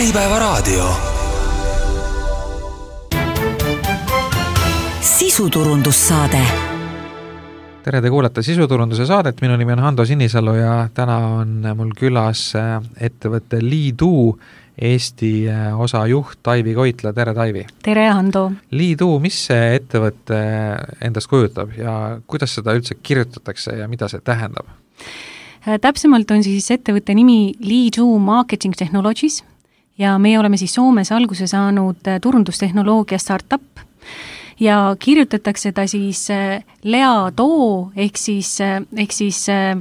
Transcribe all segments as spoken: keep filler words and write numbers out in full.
Äripäevaraadio. Sisuturundussaade. Tere, te kuulate Sisuturunduse saadet, minu nimi on Hando Sinisalu ja täna on mul külas ettevõtte Leadoo Eesti osa juht Taivi Koitla. Tere, Taivi! Tere, Hando! Leadoo, mis see ettevõtte endast kujutab ja kuidas seda üldse kirjutatakse ja mida see tähendab? Täpsemalt on siis ettevõtte nimi Leadoo Marketing Technologies ja meie oleme siis Soomes alguse saanud turundustehnoloogia startup ja kirjutatakse ta siis Leadoo ehk siis, ehk siis äh,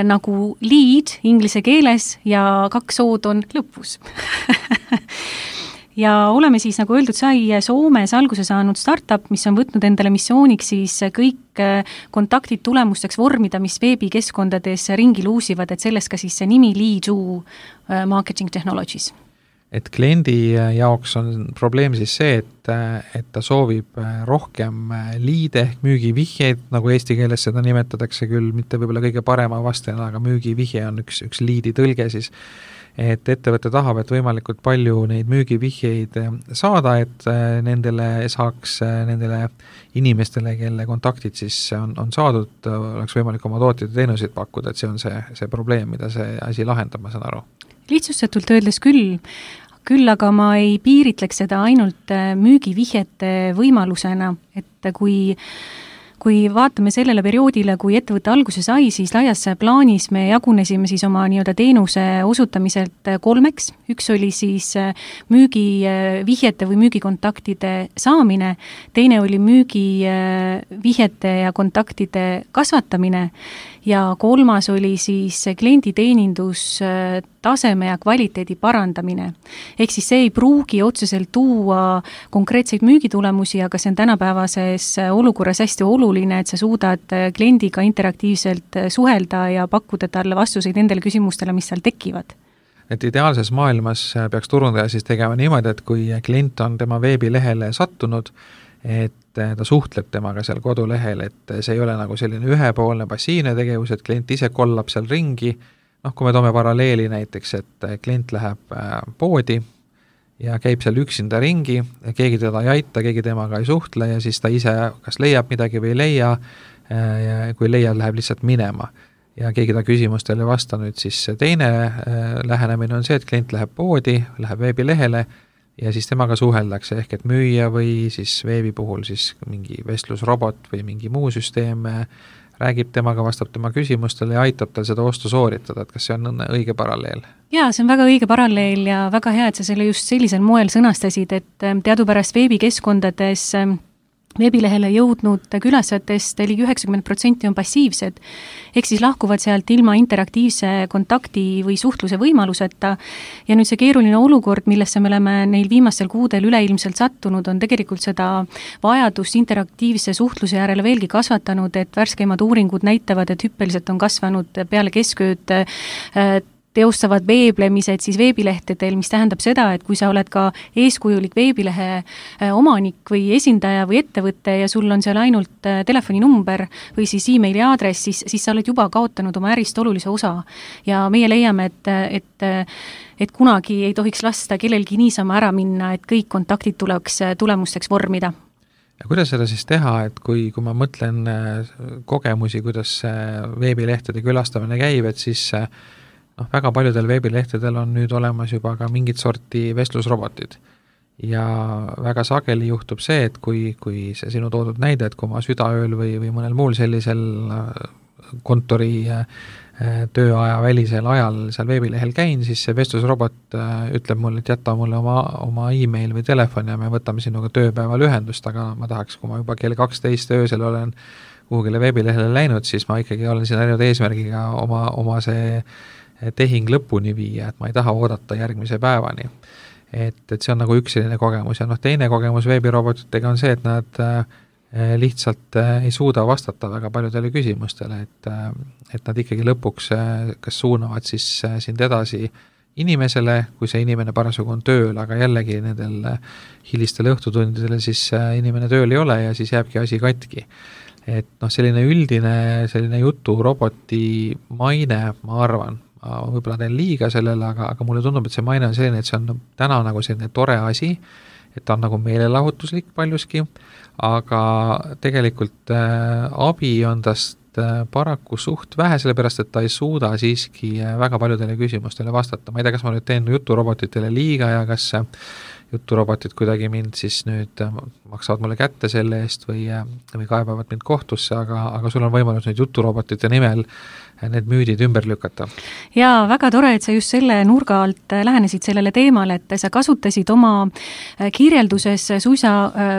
nagu lead inglise keeles ja kaks ood on lõpus. Ja oleme siis, nagu öeldud sai, Soomes alguse saanud startup, mis on võtnud endale missiooniks siis kõik kontaktid tulemusteks vormida, mis veebikeskkondades ringi luusivad, et sellest ka siis see nimi Leadoo Marketing Technologies. Et kliendi jaoks on probleem siis see, et, et ta soovib rohkem liide ehk müügivihjeid, nagu eesti keeles seda nimetatakse küll, mitte võib-olla kõige parema vastajana, aga müügivihje on üks, üks liidi tõlge siis, et ettevõte tahab, et võimalikult palju neid müügivihjeid saada, et nendele saaks nendele inimestele, kelle kontaktid siis on, on saadud, oleks võimalik oma tooteid ja teenuseid pakkuda, et see on see, see probleem, mida see asi lahendab, ma saan aru. Lihtsustatult öeldes küll, küll aga ma ei piiritleks seda ainult müügivihjete võimalusena, et kui Kui vaatame sellele perioodile, kui ettevõtte alguse sai, siis laias plaanis me jagunesime siis oma nii-öelda teenuse osutamiselt kolmeks. Üks oli siis müügivihjete või müügikontaktide saamine, teine oli müügivihjete ja kontaktide kasvatamine ja kolmas oli siis klienditeenindus taseme ja kvaliteedi parandamine. Ehk siis see ei pruugi otseselt tuua konkreetseid müügitulemusi, aga see on tänapäevases olukorras hästi oluline, et sa suudad kliendiga interaktiivselt suhelda ja pakkuda talle vastuseid nendele küsimustele, mis seal tekivad. Et ideaalses maailmas peaks turundaja siis tegema niimoodi, et kui klient on tema veebilehele sattunud, et ta suhtleb temaga seal kodulehel, et see ei ole nagu selline ühepoolne passiivne tegevus, et klient ise kollab seal ringi. Noh, kui me toome paralleeli näiteks, et klient läheb poodi ja käib seal üksinda ringi, keegi teda ei aita, keegi temaga ei suhtle ja siis ta ise kas leiab midagi või ei leia ja kui leia, läheb lihtsalt minema ja keegi ta küsimustele ei vasta. Nüüd siis teine lähenemine on see, et klient läheb poodi, läheb veebilehele ja siis temaga suheldakse ehk et müüja või siis veebi puhul siis mingi vestlusrobot või mingi muu süsteem räägib temaga, vastab tema küsimustele ja aitab tal seda ostu sooritada, et kas see on õige paralleel? Jaa, see on väga õige paralleel ja väga hea, et sa selle just sellisel moel sõnastasid, et teadupärast veebikeskkondades veebilehele jõudnud külastajatest ligi üheksakümmend protsenti on passiivsed, ehk siis lahkuvad sealt ilma interaktiivse kontakti või suhtluse võimaluseta ja nüüd see keeruline olukord, millesse me oleme neil viimastel kuudel üleilmselt sattunud, on tegelikult seda vajadust interaktiivse suhtluse järele veelgi kasvatanud, et värskeimad uuringud näitavad, et hüppeliselt on kasvanud peale keskööd teostavad veeblemised siis veebilehtedel, mis tähendab seda, et kui sa oled ka eeskujulik veebilehe omanik või esindaja või ettevõte ja sul on seal ainult telefoninumber või siis e-maili aadress, siis, siis sa oled juba kaotanud oma ärist olulise osa. Ja meie leiame, et, et, et kunagi ei tohiks lasta kellelgi niisama ära minna, et kõik kontaktid tuleks tulemusteks vormida. Ja kuidas seda siis teha, et kui, kui ma mõtlen kogemusi, kuidas veebilehtede külastamine käib, et siis noh, väga paljudel veebilehtedel on nüüd olemas juba ka mingit sorti vestlusrobotid ja väga sageli juhtub see, et kui, kui see sinu toodud näide, et kui ma südaööl või, või mõnel muul sellisel kontori tööaja välisel ajal seal veebilehel käin, siis see vestlusrobot ütleb mulle, et jätta mulle oma, oma e-mail või telefon ja me võtame sinuga tööpäeval ühendust, aga ma tahaks, kui ma juba kell kaksteist öösel olen kuhugile veebilehele läinud, siis ma ikkagi olen siin ainult eesmärgiga oma, oma see tehing lõpuni viia, et ma ei taha oodata järgmise päevani. Et, et see on nagu üks selline kogemus ja noh, teine kogemus veebirobotitega on see, et nad lihtsalt ei suuda vastata väga paljudele küsimustele, et, et nad ikkagi lõpuks kas suunavad siis sind edasi inimesele, kui see inimene parasjagu on tööl, aga jällegi nendel hilistel õhtutundidel siis inimene tööl ei ole ja siis jääbki asi katki. Et noh, selline üldine selline jutu roboti maine, ma arvan, ma võib-olla teen liiga sellele, aga, aga mulle tundub, et see maine on selline, et see on täna nagu selline tore asi, et ta on nagu meelelahutuslik paljuski, aga tegelikult äh, abi on tast äh, paraku suht vähe, sellepärast et ta ei suuda siiski äh, väga paljudele küsimustele vastata. Ma ei tea, kas ma nüüd teen juturobotitele liiga ja kas äh, juturobotid kuidagi mind siis nüüd äh, maksavad mulle kätte selle eest või, äh, või kaebavad mind kohtusse, aga, aga sul on võimalus nüüd juturobotite nimel need müüdid ümber lükata. Jaa, väga tore, et sa just selle nurga alt lähenesid sellele teemale, et sa kasutasid oma kirjelduses suisa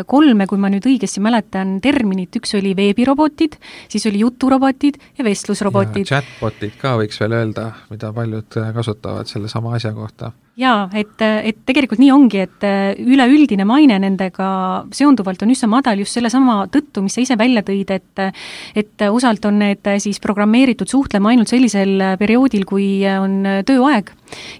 kolme, kui ma nüüd õigesti mäletan, terminit. Üks oli veebirobotid, siis oli juturobotid ja vestlusrobotid. Ja chatbotid ka võiks veel öelda, mida paljud kasutavad selle sama asja kohta. Jaa, et, et tegelikult nii ongi, et üleüldine maine nendega seonduvalt on üsna madal just selle sama tõttu, mis sa ise välja tõid, et, et osalt on need siis programmeeritud suhtlema ainult sellisel perioodil, kui on tööaeg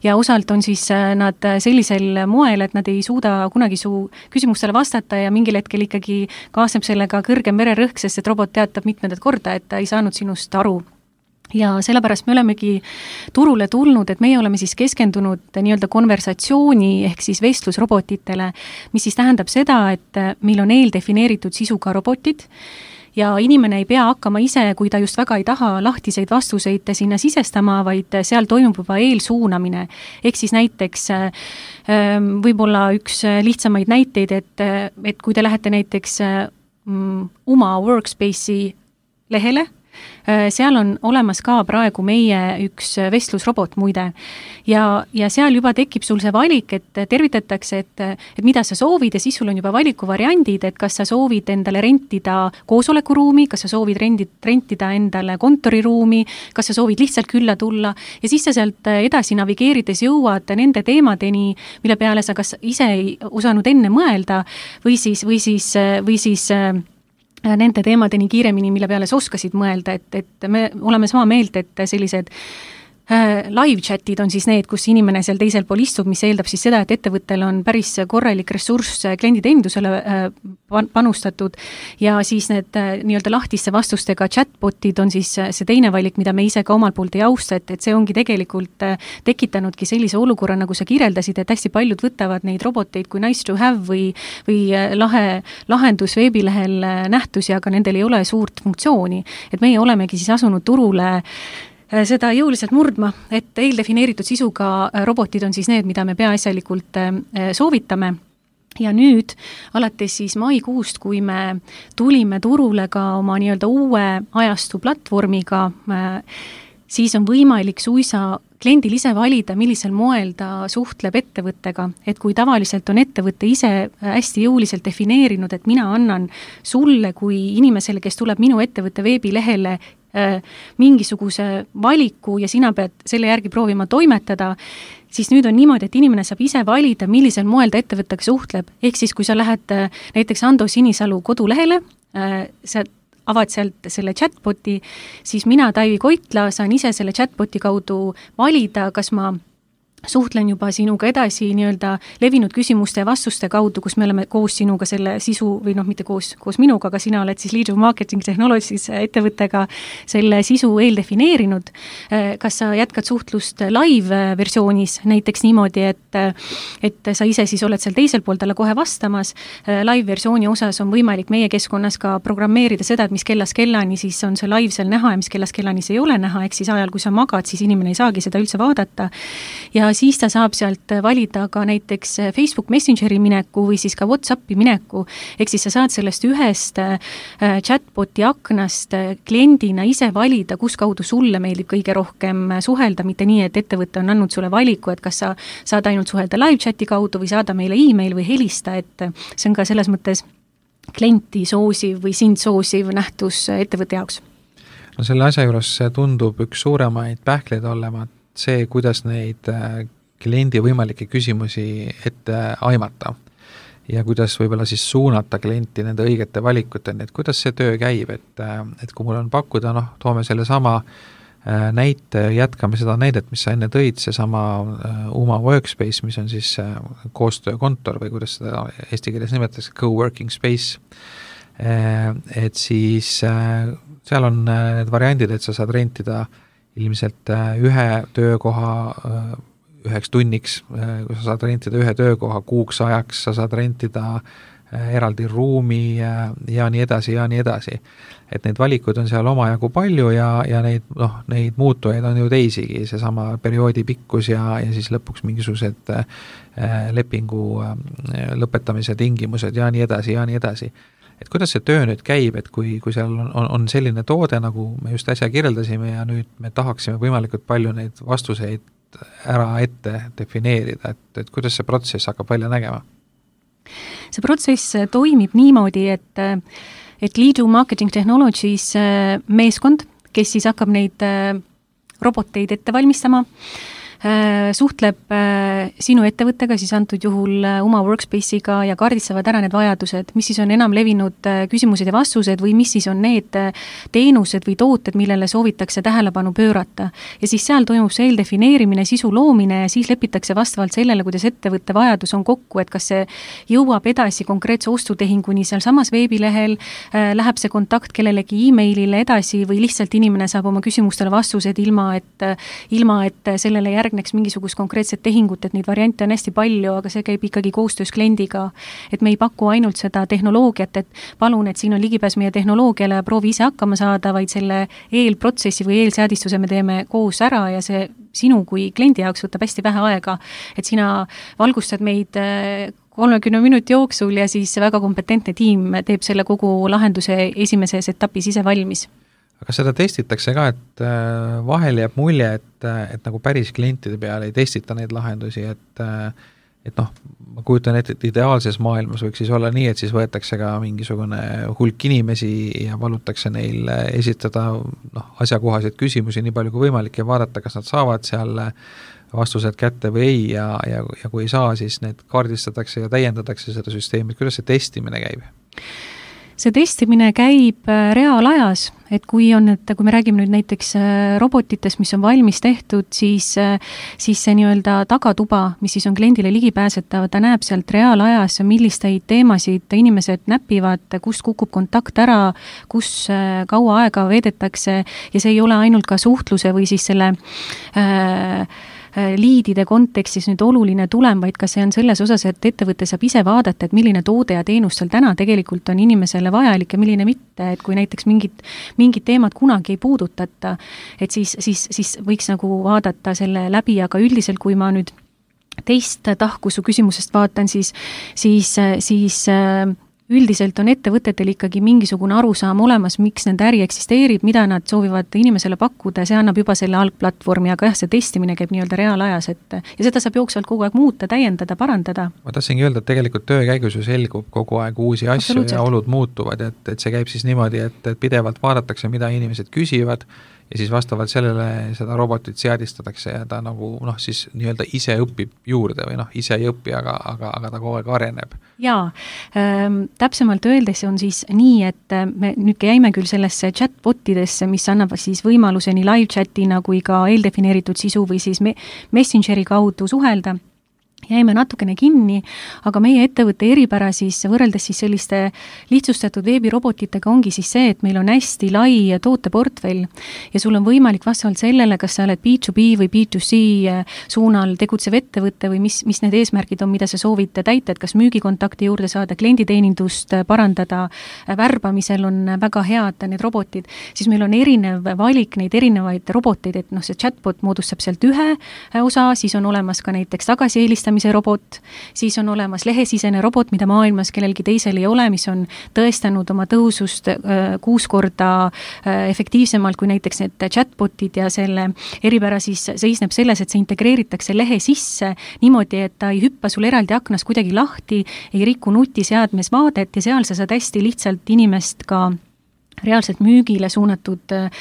ja osalt on siis nad sellisel moel, et nad ei suuda kunagi su küsimustele vastata ja mingil hetkel ikkagi kaasneb sellega kõrgem vererõhk, sest et robot teatab mitmendat korda, et ta ei saanud sinust aru. Ja sellepärast me olemegi turule tulnud, et meie oleme siis keskendunud nii-öelda konversatsiooni ehk siis vestlusrobotitele, mis siis tähendab seda, et meil on eeldefineeritud sisuga robotid ja inimene ei pea hakkama ise, kui ta just väga ei taha lahtiseid vastuseid sinna sisestama, vaid seal toimub juba eelsuunamine. Ehk siis näiteks võib-olla üks lihtsamaid näiteid, et, et kui te lähete näiteks Uma Workspace'i lehele, seal on olemas ka praegu meie üks vestlusrobot muide ja, ja seal juba tekib sul see valik, et tervitatakse, et, et mida sa soovid ja siis sul on juba valikuvariandid, et kas sa soovid endale rentida koosolekuruumi, kas sa soovid rendid, rentida endale kontoriruumi, kas sa soovid lihtsalt külla tulla ja siis sa sealt edasi navigeerides jõuad nende teemadeni, mille peale sa kas ise ei osanud enne mõelda või siis, või siis, või siis nende teemadeni kiiremini, mille peale sa oskasid mõelda, et, et me oleme sama meelt, et sellised live chatid on siis need, kus inimene seal teisel pool istub, mis eeldab siis seda, et ettevõttel on päris korralik ressurss klienditeenindusele panustatud ja siis need nii-öelda lahtiste vastustega chatbotid on siis see teine valik, mida me ise ka omalt poolt ei austa, et, et see ongi tegelikult tekitanudki sellise olukorra, nagu sa kirjeldasid, et hästi paljud võtavad neid roboteid kui nice to have või, või lahe lahendus veebilehel nähtusi, aga nendel ei ole suurt funktsiooni. Et meie olemegi siis asunud turule seda jõuliselt murdma, et eeldefineeritud sisuga robotid on siis need, mida me peaasjalikult soovitame. Ja nüüd, alates siis maikuust, kui me tulime turule ka oma nii-öelda uue ajastu platvormiga, siis on võimalik suisa kliendil ise valida, millisel moel ta suhtleb ettevõttega, et kui tavaliselt on ettevõtte ise hästi jõuliselt defineerinud, et mina annan sulle kui inimesele, kes tuleb minu ettevõtte veebilehele mingisuguse valiku ja sina pead selle järgi proovima toimetada, siis nüüd on niimoodi, et inimene saab ise valida, millisel moel ta ettevõttega suhtleb. Ehk siis, kui sa lähed näiteks Ando Sinisalu kodulehele, sa avad sealt selle chatboti, siis mina, Taivi Koitla, saan ise selle chatboti kaudu valida, kas ma suhtlen juba sinuga edasi nii-öelda levinud küsimuste ja vastuste kaudu, kus me oleme koos sinuga selle sisu, või noh, mitte koos, koos minuga, aga sina oled siis Lead Marketing Technologies ettevõttega selle sisu eeldefineerinud. Kas sa jätkad suhtlust live versioonis, näiteks niimoodi, et, et sa ise siis oled seal teisel pool talle kohe vastamas. Live versiooni osas on võimalik meie keskkonnas ka programmeerida seda, et mis kellas kellani siis on see live seal näha ja mis kellas kellani see ei ole näha, ehk siis ajal, kui sa magad, siis inimene ei saagi seda üldse vaadata. Ja siis ta saab sealt valida ka näiteks Facebook Messengeri mineku või siis ka WhatsAppi mineku, ehk siis sa saad sellest ühest chatboti aknast kliendina ise valida, kus kaudu sulle meeldib kõige rohkem suhelda, mitte nii, et ettevõte on andnud sulle valiku, et kas sa saad ainult suhelda live chati kaudu või saada meile e-mail või helista, et see on ka selles mõttes klienti soosiv või sind soosiv nähtus ettevõtte jaoks. No selle asja juures tundub üks suuremaid pähkleid olevat see, kuidas neid kliendi võimalikke küsimusi ette aimata ja kuidas võib-olla siis suunata klienti nende õigete valikuteni, et kuidas see töö käib, et, et kui mul on pakkuda, noh, toome selle sama näite, jätkame seda näidet, mis sa enne tõid, see sama Uma Workspace, mis on siis koostöökontor või kuidas seda eesti keeles nimetatakse, co-working space, et siis seal on need variandid, et sa saad rentida ilmselt ühe töökoha üheks tunniks, kui sa saad rentida ühe töökoha kuuks ajaks, sa saad rentida eraldi ruumi ja, ja nii edasi ja nii edasi. Et neid valikuid on seal omajagu palju ja, ja neid, noh, neid muutujaid on ju teisigi, seesama perioodi pikkus ja, ja siis lõpuks mingisugused äh, lepingu äh, lõpetamise tingimused ja nii edasi ja nii edasi. Et kuidas see töö nüüd käib, et kui, kui seal on, on, on selline toode, nagu me just äsja kirjeldasime ja nüüd me tahaksime võimalikult palju neid vastuseid ära ette defineerida, et, et kuidas see protsess hakkab välja nägema? See protsess toimib niimoodi, et, et Liidu Marketing Technologies meeskond, kes siis hakkab neid roboteid ette valmistama, suhtleb sinu ettevõttega, siis antud juhul oma workspace'iga ja kaardistavad ära need vajadused, mis siis on enam levinud küsimused ja vastused või mis siis on need teenused või tooted, millele soovitakse tähelepanu pöörata. Ja siis seal toimub see eeldefineerimine, sisu loomine ja siis lepitakse vastavalt sellele, kuidas ettevõtte vajadus on kokku, et kas see jõuab edasi konkreetse ostutehinguni seal samas veebilehel, läheb see kontakt kellelegi e-mailile edasi või lihtsalt inimene saab oma küsimustele vastused ilma, et, ilma, et sellele järg järgneks mingisugust konkreetset tehingut, et neid variante on hästi palju, aga see käib ikkagi koostöös kliendiga, et me ei paku ainult seda tehnoloogiat, et palun, et siin on ligipääs meie tehnoloogiale ja proovi ise hakkama saada, vaid selle eelprotsessi või eelseadistuse me teeme koos ära ja see sinu kui kliendi jaoks võtab hästi vähe aega, et sina valgustad meid kolmekümne minuti jooksul ja siis väga kompetentne tiim teeb selle kogu lahenduse esimeses etapis ise valmis. Aga seda testitakse ka, et vahel jääb mulje, et, et nagu päris klientide peale ei testita neid lahendusi, et, et noh, ma kujutan ette, et ideaalses maailmas võiks siis olla nii, et siis võetakse ka mingisugune hulk inimesi ja palutakse neil esitada noh, asjakohaseid küsimusi nii palju kui võimalik ja vaadata, kas nad saavad seal vastused kätte või ei ja, ja, ja kui ei saa, siis need kaardistatakse ja täiendatakse seda süsteemi. Kuidas see testimine käib? See testimine käib reaalajas, et kui on, et kui me räägime nüüd näiteks robotitest, mis on valmis tehtud, siis, siis see nii-öelda tagatuba, mis siis on kliendile ligipääsetav, ta näeb sealt reaalajas, millisteid teemasid inimesed näpivad, kust kukub kontakt ära, kus kaua aega veedetakse ja see ei ole ainult ka suhtluse või siis selle äh, liidide kontekstis nüüd oluline tulem, vaid ka see on selles osas, et ettevõte saab ise vaadata, et milline toode ja teenus seal täna tegelikult on inimesele vajalik ja milline mitte, et kui näiteks mingid, mingid teemad kunagi ei puudutata, et siis, siis, siis võiks nagu vaadata selle läbi, aga üldiselt, kui ma nüüd teist tahku su küsimusest vaatan, siis, siis, siis üldiselt on ettevõtetel ikkagi mingisugune arusaam olemas, miks nende äri eksisteerib, mida nad soovivad inimesele pakkuda, see annab juba selle algplatvormi, aga jah, see testimine käib nii-öelda reaalajas, et ja seda saab jooksvalt kogu aeg muuta, täiendada, parandada. Ma tahtsingi öelda, et tegelikult töö käigus ju selgub kogu aeg uusi asju ja olud muutuvad, et, et see käib siis niimoodi, et, et pidevalt vaadatakse, mida inimesed küsivad ja siis vastavalt sellele seda robotit seadistatakse ja ta nagu noh, siis nii-öelda ise õpib juurde või noh, ise ei õpi, aga, aga, aga ta kogu aeg areneb. Jaa, ähm, täpsemalt öeldes on siis nii, et me nüüd käime küll sellesse chatbotidesse, mis annab siis võimaluse nii live chatina kui ka eeldefineeritud sisu või siis me- Messengeri kaudu suhelda. Jäime natukene kinni, aga meie ettevõtte eripära siis võrreldes siis selliste lihtsustatud veebirobotitega ongi siis see, et meil on hästi lai tooteportfell ja sul on võimalik vastavalt sellele, kas sa oled B to B või B to C suunal tegutsev ettevõtte või mis, mis need eesmärgid on, mida sa soovid täita, et kas müügikontakti juurde saada, klienditeenindust parandada, värbamisel on väga head need robotid, siis meil on erinev valik neid erinevaid roboteid, et noh, see chatbot moodustab sealt ühe osa, siis on olemas ka näiteks tagasieelistamise robot, siis on olemas lehesisene robot, mida maailmas kellelgi teisel ei ole, mis on tõestanud oma tõusust äh, kuus korda äh, efektiivsemalt kui näiteks need chatbotid ja selle eripära siis seisneb selles, et see integreeritakse lehe sisse niimoodi, et ta ei hüppa sul eraldi aknas kuidagi lahti, ei riku nutiseadmes vaadet ja seal sa saad hästi lihtsalt inimest ka reaalselt müügile suunatud äh,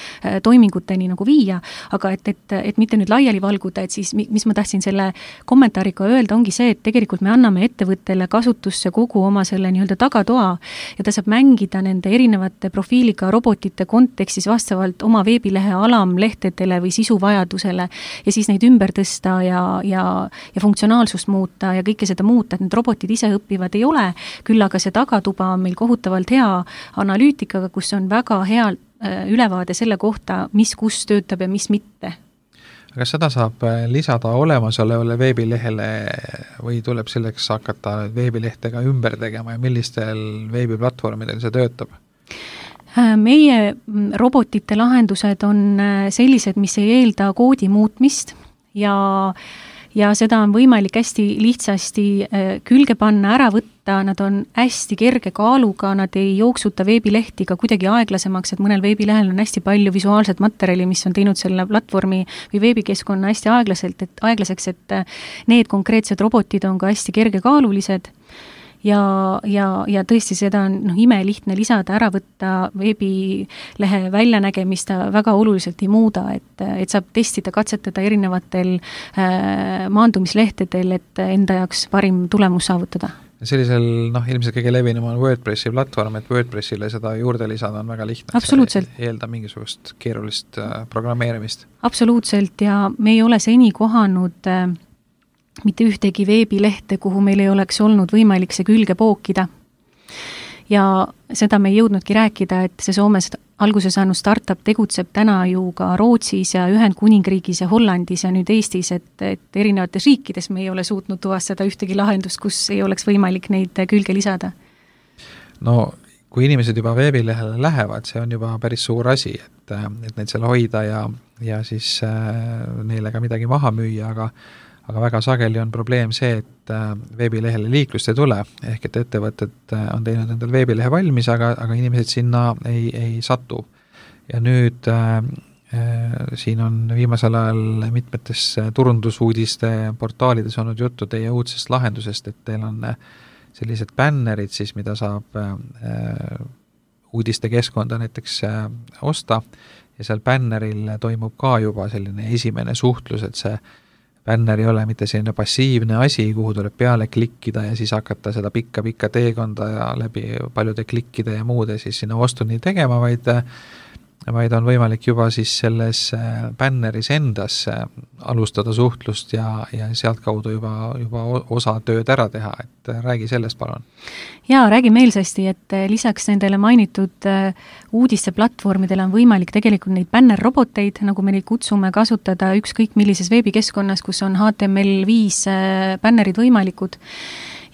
toiminguteni nagu viia, aga et, et, et mitte nüüd laiali valguda, et siis mis ma tahtsin selle kommentaariga öelda, ongi see, et tegelikult me anname ettevõttele kasutusse kogu oma selle nii-öelda tagatoa ja ta saab mängida nende erinevate profiiliga robotite kontekstis vastavalt oma veebilehe alamlehtedele või sisuvajadusele ja siis neid ümber tõsta ja, ja, ja funktsionaalsust muuta ja kõike seda muuta, et need robotid ise õppivad ei ole, küll aga see tagatuba on meil kohutavalt hea analüütikaga, kus on väga healt ülevaade selle kohta, mis kus töötab ja mis mitte. Kas seda saab lisada olemasolevale veebilehele või tuleb selleks hakata veebilehtega ümber tegema ja millistel veebiplatvormidel see töötab? Meie robotite lahendused on sellised, mis ei eelda koodi muutmist ja, ja seda on võimalik hästi lihtsasti külge panna, ära võtta, nad on hästi kerge kaaluga, nad ei jooksuta veebilehti ka kuidagi aeglasemaks, et mõnel veebilehel on hästi palju visuaalset materjali, mis on teinud selle platvormi või veebikeskkonna hästi aeglaselt, et aeglaseks, et need konkreetsed robotid on ka hästi kergekaalulised. Ja, ja, ja tõesti seda on noh, ime lihtne lisada, ära võtta veebilehe väljanägemist väga oluliselt ei muuda, et, et saab testida, katsetada erinevatel äh, maandumislehtedel, et enda jaoks parim tulemus saavutada. Sellisel, noh, ilmselt kõige levinum on WordPressi platvorm, et WordPressile seda juurde lisada on väga lihtne. Absoluutselt. See eelda mingisugust keerulist äh, programmeerimist. Absoluutselt ja me ei ole seni kohanud äh, mitte ühtegi veebilehte, kuhu meil ei oleks olnud võimalik see külge pookida. Ja seda me ei jõudnudki rääkida, et see Soomes alguse saanud startup tegutseb täna ju ka Rootsis ja Ühendkuningriigis ja Hollandis ja nüüd Eestis, et, et erinevates riikides me ei ole suutnud tuvastada ühtegi lahendust, kus ei oleks võimalik neid külge lisada. No kui inimesed juba veebilehele lähevad, see on juba päris suur asi, et, et neid seal hoida ja, ja siis äh, neile ka midagi maha müüa, aga aga väga sageli on probleem see, et veebilehele liiklust ei tule, ehk et ettevõtted on teinud endal veebilehe valmis, aga, aga inimesed sinna ei, ei satu. Ja nüüd äh, siin on viimasel ajal mitmetes turundusuudiste portaalides olnud juttu teie uudsest lahendusest, et teil on sellised bännerid siis, mida saab äh, uudiste keskkonda näiteks äh, osta ja seal bänneril toimub ka juba selline esimene suhtlus, et see bänner ei ole mitte selline passiivne asi, kuhu tuleb peale klikkida ja siis hakata seda pikka-pikka teekonda ja läbi paljude klikkide ja muude siis sinna ostuni tegema, vaid, vaid on võimalik juba siis selles bänneris endas alustada suhtlust ja, ja sealt kaudu juba, juba osa tööd ära teha, et räägi sellest palun. Jaa, räägi meelsasti, et lisaks nendele mainitud uudiste platvormidele on võimalik tegelikult neid bännerroboteid, nagu me neid kutsume, kasutada ükskõik millises veebikeskkonnas, kus on H T M L viis bännerid võimalikud.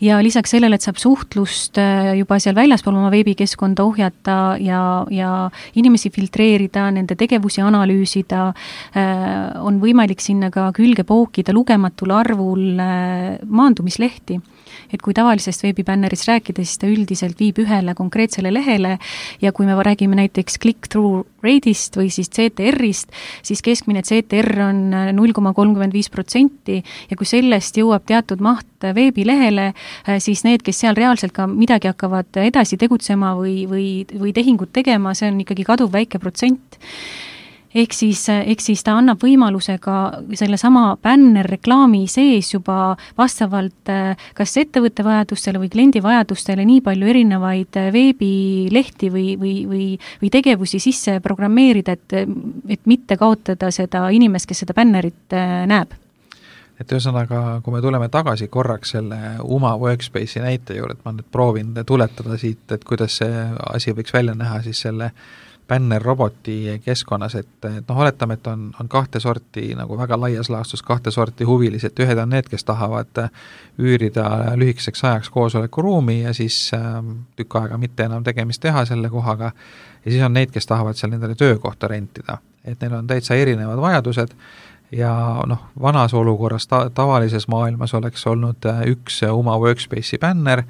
Ja lisaks sellele, et saab suhtlust juba seal väljaspool oma veebikeskkonda ohjata ja, ja inimesi filtreerida, nende tegevusi analüüsida, on võimalik sinna ka külge pookida lugematul arvul maandumislehti. Et kui tavalisest veebibännerist rääkida, siis ta üldiselt viib ühele konkreetsele lehele ja kui me räägime näiteks click-through rate'ist või siis C T R-ist, siis keskmine C T R on null koma kolmkümmend viis protsenti ja kui sellest jõuab teatud maht veebilehele, siis need, kes seal reaalselt ka midagi hakkavad edasi tegutsema või, või, või tehingut tegema, see on ikkagi kaduv väike protsent. Ehk siis, ehk siis ta annab võimaluse ka selle sama bännerreklaami sees juba vastavalt kas ettevõtte vajadustele või kliendi vajadustele nii palju erinevaid veebilehti või, või, või, või tegevusi sisse programmeerida, et, et mitte kaotada seda inimest, kes seda bännerit näeb. Et ühesõnaga, kui me tuleme tagasi korraks selle Uma Workspace'i näite juurde, et ma nüüd proovin tuletada siit, et kuidas see asi võiks välja näha siis selle bännerroboti keskkonnas, et, et noh, oletame, et on, on kahte sorti, nagu väga laias laastus kahte sorti huvilised, ühed on need, kes tahavad üürida lühikeseks ajaks koosolekuruumi ja siis äh, tükk aega mitte enam tegemist teha selle kohaga ja siis on neid, kes tahavad seal nendele töökohta rentida, et neil on täitsa erinevad vajadused ja noh, vanas olukorras ta, tavalises maailmas oleks olnud üks Uma Workspace'i bänner,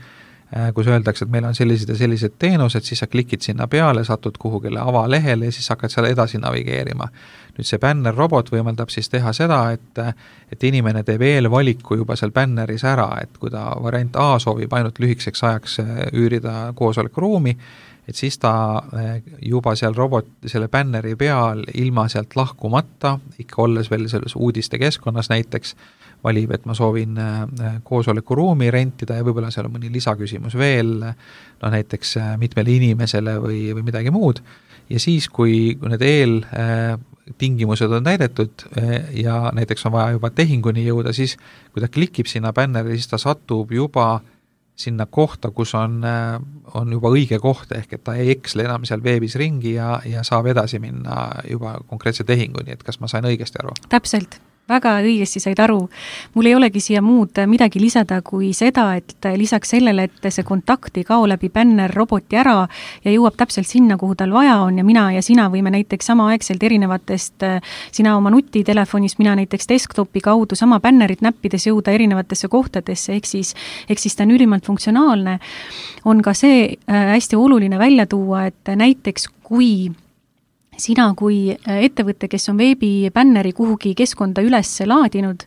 kus öeldakse, et meil on sellised ja sellised teenused, siis sa klikid sinna peale, satud kuhugile avalehele ja siis hakkad seal edasi navigeerima. Nüüd see bännerrobot võimaldab siis teha seda, et, et inimene teeb eelvaliku juba seal bänneris ära, et kui ta variant A soovib ainult lühikeseks ajaks üürida koosolekuruumi, et siis ta juba seal robot, selle bänneri peal ilma sealt lahkumata, ikka olles veel selles uudiste keskkonnas näiteks, valib, et ma soovin koosolekuruumi rentida ja võib-olla seal on mõni lisaküsimus veel, no näiteks mitmele inimesele või, või midagi muud. Ja siis, kui need eeltingimused on täidetud ja näiteks on vaja juba tehinguni jõuda, siis kui ta klikib sinna bänneri, siis ta satub juba sinna kohta, kus on, on juba õige koht, ehk et ta ei eksle enam seal veebis ringi ja, ja saab edasi minna juba konkreetse tehinguni, et kas ma sain õigesti aru? Täpselt. Väga õigesti said aru. Mul ei olegi siia muud midagi lisada kui seda, et lisaks sellele, et see kontakt ei kao läbi bänner roboti ära ja jõuab täpselt sinna, kuhu tal vaja on ja mina ja sina võime näiteks samaaegselt erinevatest, sina oma nutitelefonist, mina näiteks desktopi kaudu sama bännerit näppides jõuda erinevatesse kohtadesse, ehk siis, ehk siis ta on ülimalt funktsionaalne. On ka see hästi oluline välja tuua, et näiteks kui sina kui ettevõte, kes on veebibänneri kuhugi keskkonda üles laadinud,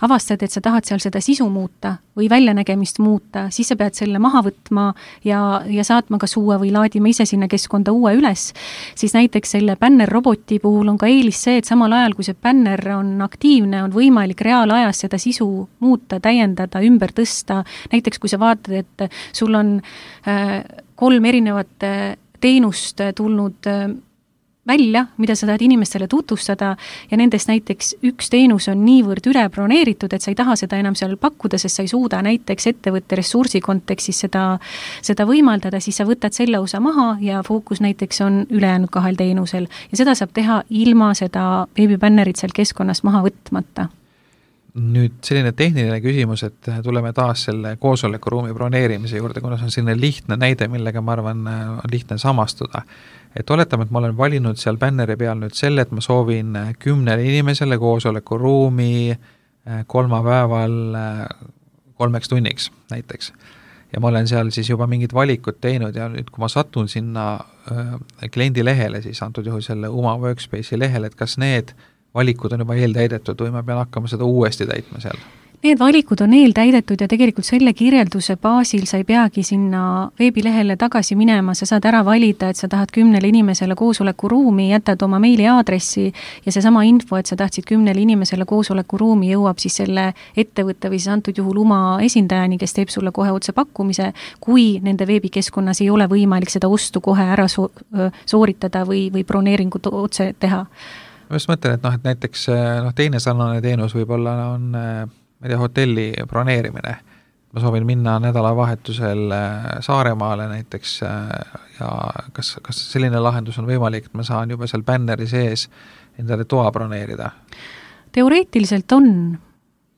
avastad, et sa tahad seal seda sisu muuta või väljanägemist muuta, siis sa pead selle maha võtma ja, ja saatma kas uue või laadima ise sinna keskkonda uue üles, siis näiteks selle bänner-roboti puhul on ka eelis see, et samal ajal, kui see bänner on aktiivne, on võimalik reaalajas seda sisu muuta, täiendada, ümber tõsta. Näiteks kui sa vaatad, et sul on äh, kolm erinevat teenust tulnud äh, välja, mida sa tahad inimestele tutvustada ja nendest näiteks üks teenus on niivõrd üle broneeritud, et sa ei taha seda enam seal pakkuda, sest sa ei suuda näiteks ettevõtte ressursi kontekstis seda, seda võimaldada, siis sa võtad selle osa maha ja fookus näiteks on ülejäänud kahel teenusel ja seda saab teha ilma seda veebibännerit seal keskkonnast maha võtmata. Nüüd selline tehniline küsimus, et tuleme taas selle koosolekuruumi broneerimise juurde, kuna see on selline lihtne näide, millega ma arvan on lihtne samastuda. Et oletame, et ma olen valinud seal bänneri peal nüüd selle, et ma soovin kümnele inimesele koosolekuruumi kolmapäeval kolmeks tunniks näiteks. Ja ma olen seal siis juba mingid valikud teinud ja nüüd, kui ma satun sinna kliendi lehele, siis antud juhul selle Uma Workspace'i lehele, et kas need valikud on juba eeltäidetud või ma pean hakkama seda uuesti täitma seal? Need valikud on eeltäidetud ja tegelikult selle kirjelduse baasil sa ei peagi sinna veebilehele tagasi minema, sa saad ära valida, et sa tahad kümnele inimesele koosolekuruumi, jätad oma meili aadressi ja seesama info, et sa tahtsid kümnele inimesele koosolekuruumi, jõuab siis selle ettevõtte või siis antud juhul Uma esindajani, kes teeb sulle kohe otse pakkumise, kui nende veebikeskkonnas ei ole võimalik seda ostu kohe ära so- sooritada või, või broneeringut otse teha. Ma just mõtlen, et, noh, et näiteks noh, teine sarnane teenus võib-olla on ma ei tea, hotelli broneerimine. Ma soovin minna nädalavahetusel Saaremaale näiteks ja kas, kas selline lahendus on võimalik, et ma saan juba seal bänneri sees endale toa broneerida? Teoreetiliselt on.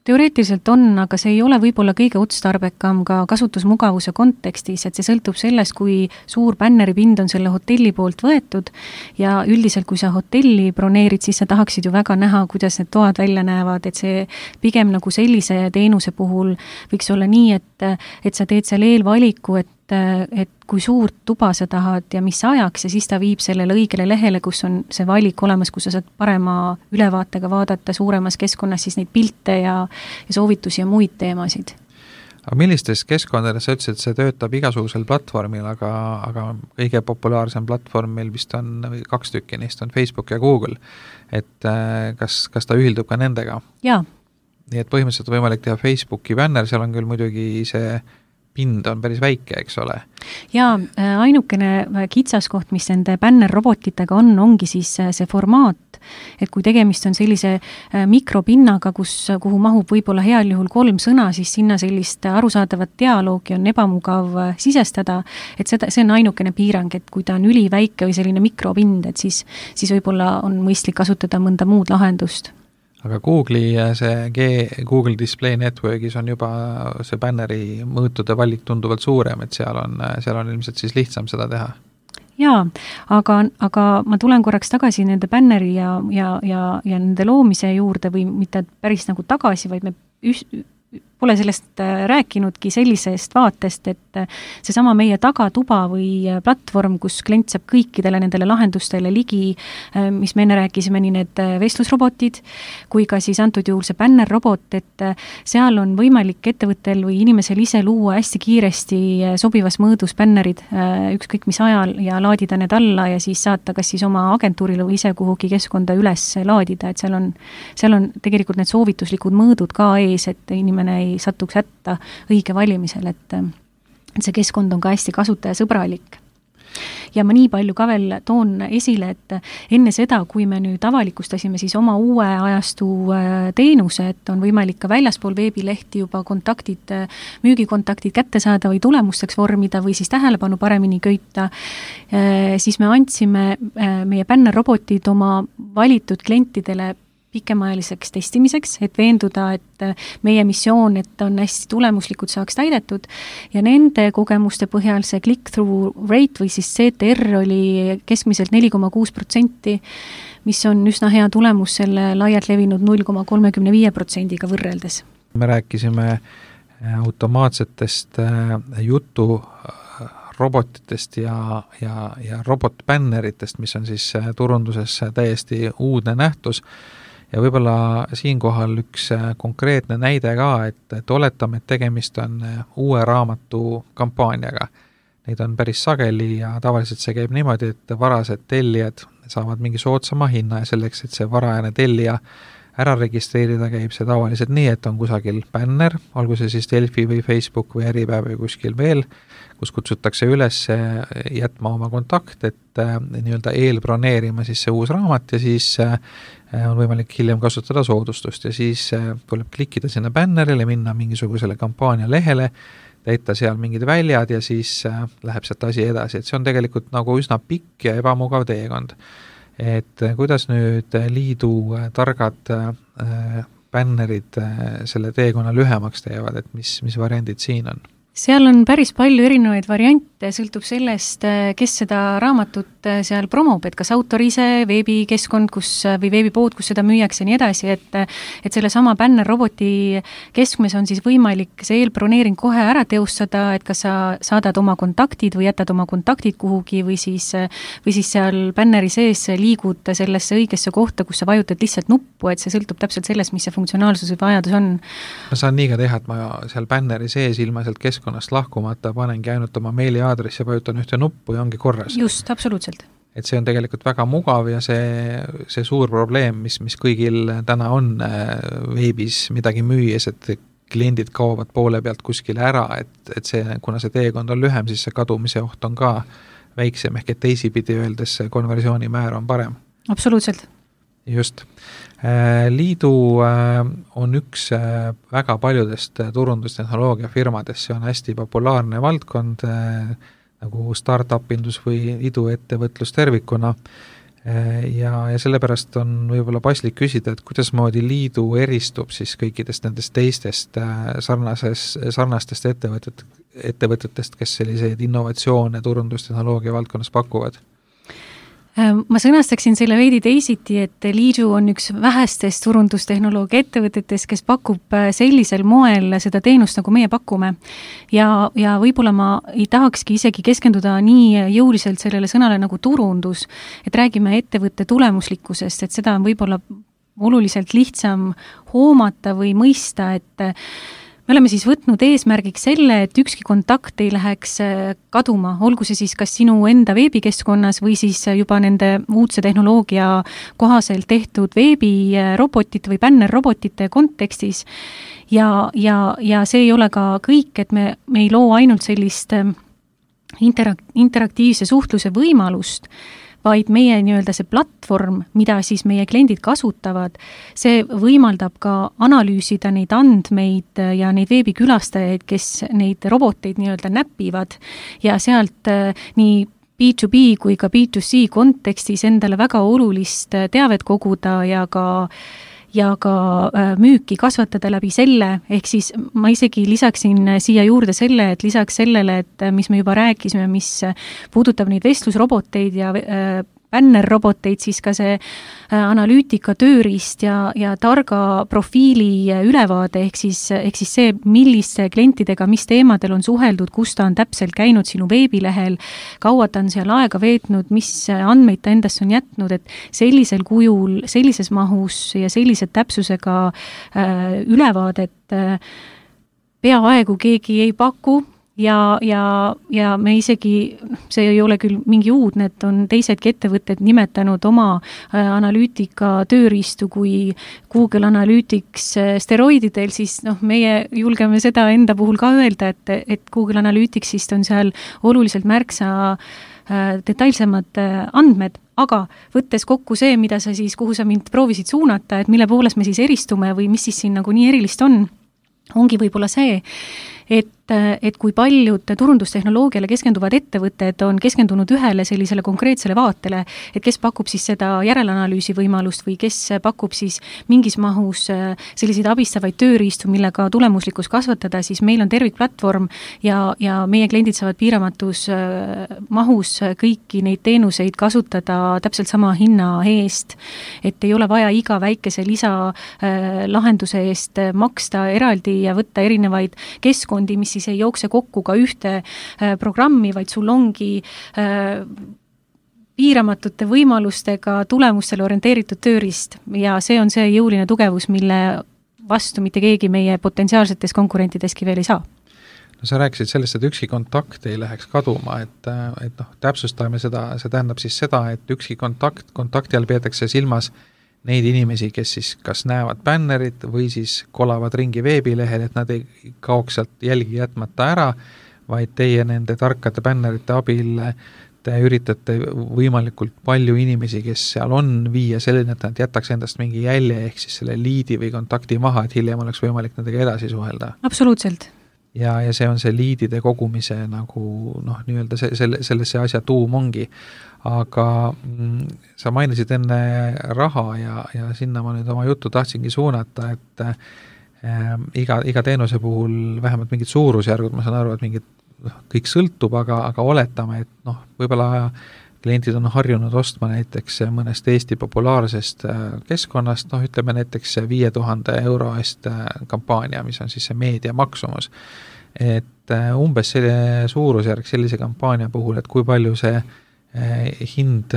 Teoreetiliselt on, aga see ei ole võib-olla kõige otstarbekam ka kasutusmugavuse kontekstis, et see sõltub sellest, kui suur bänneripind on selle hotelli poolt võetud ja üldiselt, kui sa hotelli broneerid, siis sa tahaksid ju väga näha, kuidas need toad välja näevad, et see pigem nagu sellise teenuse puhul võiks olla nii, et, et sa teed seal eelvaliku, et et kui suurt tuba sa tahad ja mis ajaks ja siis ta viib sellele õigele lehele, kus on see valik olemas, kus sa saad parema ülevaatega vaadata suuremas keskkonnas siis neid pilte ja, ja soovitusi ja muid teemasid. Aga millistes keskkondades sa ütlesid, et see töötab igasugusel platvormil, aga, aga kõige populaarsem platvorm meil vist on, kaks tükki neist on Facebook ja Google, et kas, kas ta ühildub ka nendega? Jaa. Nii et põhimõtteliselt on võimalik teha Facebooki bänner, seal on küll muidugi see pind on päris väike, eks ole. Ja ainukene kitsaskoht, mis nende bänner-robotitega on, ongi siis see formaat, et kui tegemist on sellise mikropinnaga, kus, kuhu mahub võib-olla heal juhul kolm sõna, siis sinna sellist arusaadavat dialoogi on ebamugav sisestada, et seda, see on ainukene piirang, et kui ta on üliväike või selline mikropind, et siis, siis võib-olla on mõistlik kasutada mõnda muud lahendust. Aga Google'i see G, Google Display Networkis on juba see bänneri mõõtude valik tunduvalt suurem, et seal on, seal on ilmselt siis lihtsam seda teha. Jaa, aga, aga ma tulen korraks tagasi nende bänneri ja, ja, ja, ja nende loomise juurde või mitte päris nagu tagasi, vaid me üs, pole sellest rääkinudki sellisest vaatest, et seesama meie tagatuba või platvorm, kus klient saab kõikidele nendele lahendustele ligi, mis me enne rääkisime, nii need vestlusrobotid, kui ka siis antud juhul see bännerrobot, et seal on võimalik ettevõttel või inimesel ise luua hästi kiiresti sobivas mõõdus bännerid ükskõik mis ajal ja laadida need alla ja siis saata kas siis oma agentuurile või ise kuhugi keskkonda üles laadida, et seal on, seal on tegelikult need soovituslikud mõõdud ka ees, et inimene ei satuks hätta õige valimisel, et, et see keskkond on ka hästi kasutajasõbralik. ja ma nii palju ka veel toon esile, et enne seda, kui me nüüd avalikustasime siis oma uue ajastu teenuse, et on võimalik ka väljaspool veebilehti juba kontaktid, müügikontaktid kätte saada või tulemusteks vormida või siis tähelepanu paremini köita, siis me andsime meie bännerrobotid oma valitud klientidele pikemaajaliseks testimiseks, et veenduda, et meie missioon, et on hästi tulemuslikud, saaks täidetud ja nende kogemuste põhjal see click-through rate või siis C T R oli keskmiselt neli koma kuus protsenti, mis on üsna hea tulemus selle laialt levinud null koma kolmekümne viie protsendiga võrreldes. Me rääkisime automaatsetest jutu robotitest ja, ja, ja robotbänneritest, mis on siis turunduses täiesti uudne nähtus. Ja võib-olla siinkohal üks konkreetne näide ka, et, et oletame, et tegemist on uue raamatu kampaaniaga. Neid on päris sageli ja tavaliselt see käib niimoodi, et varased tellijad saavad mingi soodsama hinna ja selleks, et see varajane tellija ära registreerida, käib see tavaliselt nii, et on kusagil bänner, olgu see siis Delfi või Facebook või Äripäev või kuskil veel, kus kutsutakse üles jätma oma kontakt, et äh, nii-öelda eelbroneerima siis see uus raamat ja siis äh, on võimalik hiljem kasutada soodustust ja siis äh, tuleb klikkida sinna bännerile, minna mingisugusele kampaania lehele, täita seal mingid väljad ja siis äh, läheb sealt asi edasi, et see on tegelikult nagu üsna pikk ja ebamugav teekond. Et äh, kuidas nüüd liidu äh, targad äh, bännerid äh, selle teekonna lühemaks teevad, et mis, mis variandid siin on? Seal on päris palju erinevaid variante, sõltub sellest, kes seda raamatut seal promob, et kas autor ise, veebikeskkond kus, või veebipood, kus seda müüakse ja nii edasi, et, et selle sama bännerroboti keskmes on siis võimalik see eelbroneering kohe ära teostada, et kas sa saadad oma kontaktid või jätad oma kontaktid kuhugi või siis, või siis seal bänneri sees liigud sellesse õigesse kohta, kus sa vajutad lihtsalt nuppu, et see sõltub täpselt sellest, mis see funktsionaalsus või vajadus on. Ma saan nii ka teha, et ma seal bänneri sees ilma sealt keskkond lahkumata panengi ainult oma meiliaadressi ja vajutan ühte nuppu ja ongi korras. Just, absoluutselt. Et see on tegelikult väga mugav ja see, see suur probleem, mis, mis kõigil täna on veebis midagi müües, et kliendid kaovad poole pealt kuskile ära, et, et see, kuna see teekond on lühem, siis see kadumise oht on ka väiksem, ehk et teisipidi öeldes konversiooni määr on parem. Absoluutselt. Just. Liidu on üks väga paljudest turundustehnoloogia firmadest, see on hästi populaarne valdkond nagu startup-indus või iduettevõtlus tervikuna ja, ja sellepärast on võib-olla paslik küsida, et kuidas moodi liidu eristub siis kõikidest nendest teistest sarnases, sarnastest ettevõtet, ettevõtetest, kes selliseid innovatsioone turundustehnoloogia valdkonnas pakuvad? Ma sõnastaksin selle veidi teisiti, et Liidu on üks vähestest turundustehnoloogia ettevõtetest, kes pakub sellisel moel seda teenust, nagu meie pakume. Ja, ja võib-olla ma ei tahakski isegi keskenduda nii jõuliselt sellele sõnale nagu turundus, et räägime ettevõtte tulemuslikkusest, et seda on võib-olla oluliselt lihtsam hoomata või mõista, et me oleme siis võtnud eesmärgiks selle, et ükski kontakt ei läheks kaduma, olgu see siis kas sinu enda veebikeskkonnas või siis juba nende uudse tehnoloogia kohaselt tehtud veebirobotite või bännerrobotite kontekstis. Ja, ja, ja see ei ole ka kõik, et me, me ei loo ainult sellist interak- interaktiivse suhtluse võimalust, vaid meie nii-öelda see platvorm, mida siis meie kliendid kasutavad, see võimaldab ka analüüsida neid andmeid ja neid veebikülastajaid, kes neid roboteid nii-öelda näpivad ja sealt nii B to B kui ka B to C kontekstis endale väga olulist teavet koguda ja ka ja ka müüki kasvatada läbi selle, ehk siis ma isegi lisaksin siia juurde selle, et lisaks sellele, et mis me juba rääkisime, mis puudutab neid vestlusroboteid ja bännerroboteid, siis ka see analüütika tööriist ja, ja targa profiili ülevaade, ehk siis, ehk siis see, milliste klientidega, mis teemadel on suheldud, kus ta on täpselt käinud sinu veebilehel, kaua ta on seal aega veetnud, mis andmeid ta endast on jätnud, et sellisel kujul, sellises mahus ja sellise täpsusega äh, ülevaadet äh, peaaegu keegi ei paku. Ja, ja, ja me isegi, see ei ole küll mingi uudne, et on teisedki ettevõtted nimetanud oma analüütika tööriistu kui Google Analytics steroididel, siis noh, meie julgeme seda enda puhul ka öelda, et, et Google Analyticsist on seal oluliselt märksa detailsemad andmed, aga võttes kokku see, mida sa siis, kuhu sa mind proovisid suunata, et mille poolest me siis eristume või mis siis siin nagu nii erilist on, ongi võib-olla see, et, et kui paljud turundustehnoloogiale keskenduvad ettevõtted on keskendunud ühele sellisele konkreetsele vaatele, et kes pakub siis seda järelanalüüsi võimalust või kes pakub siis mingis mahus selliseid abistavaid tööriistu, millega tulemuslikkus kasvatada, siis meil on tervikplatvorm ja, ja meie kliendid saavad piiramatus mahus kõiki neid teenuseid kasutada täpselt sama hinna eest, et ei ole vaja iga väikese lisa lahenduse eest maksta eraldi ja võtta erinevaid keskkondi, mis siis ei jookse kokku ka ühte äh, programmi, vaid sul ongi äh, piiramatute võimalustega tulemustele orienteeritud tööriist ja see on see jõuline tugevus, mille vastu mitte keegi meie potentsiaalsetes konkurentideski veel ei saa. No sa rääkisid sellest, et ükski kontakt ei läheks kaduma, et, et noh, täpsustame seda, see tähendab siis seda, et ükski kontakt, kontakti all peetakse silmas neid inimesi, kes siis kas näevad bännerit või siis kolavad ringi veebilehel, et nad ei kaoks sealt jälgi jätmata ära, vaid teie nende tarkade bännerite abil te üritate võimalikult palju inimesi, kes seal on, viia selline, et nad jätaks endast mingi jälje ehk siis selle liidi või kontakti maha, et hiljem oleks võimalik nendega edasi suhelda. Absoluutselt. Ja, ja see on see liidide kogumise nagu noh, nii-öelda see, selle, selle see asja tuum ongi. Aga mm, sa mainisid enne raha ja, ja sinna ma nüüd oma juttu tahtsingi suunata, et äh, iga, iga teenuse puhul vähemalt mingid suurusjärgud, ma saan aru, et mingid noh, kõik sõltub, aga, aga oletame, et noh, võib-olla klientid on harjunud ostma näiteks mõnest Eesti populaarsest keskkonnast, noh ütleme näiteks viie tuhande euro eest kampaania, mis on siis see meedia maksumus. Et umbes selle suurusjärg sellise kampaania puhul, et kui palju see hind,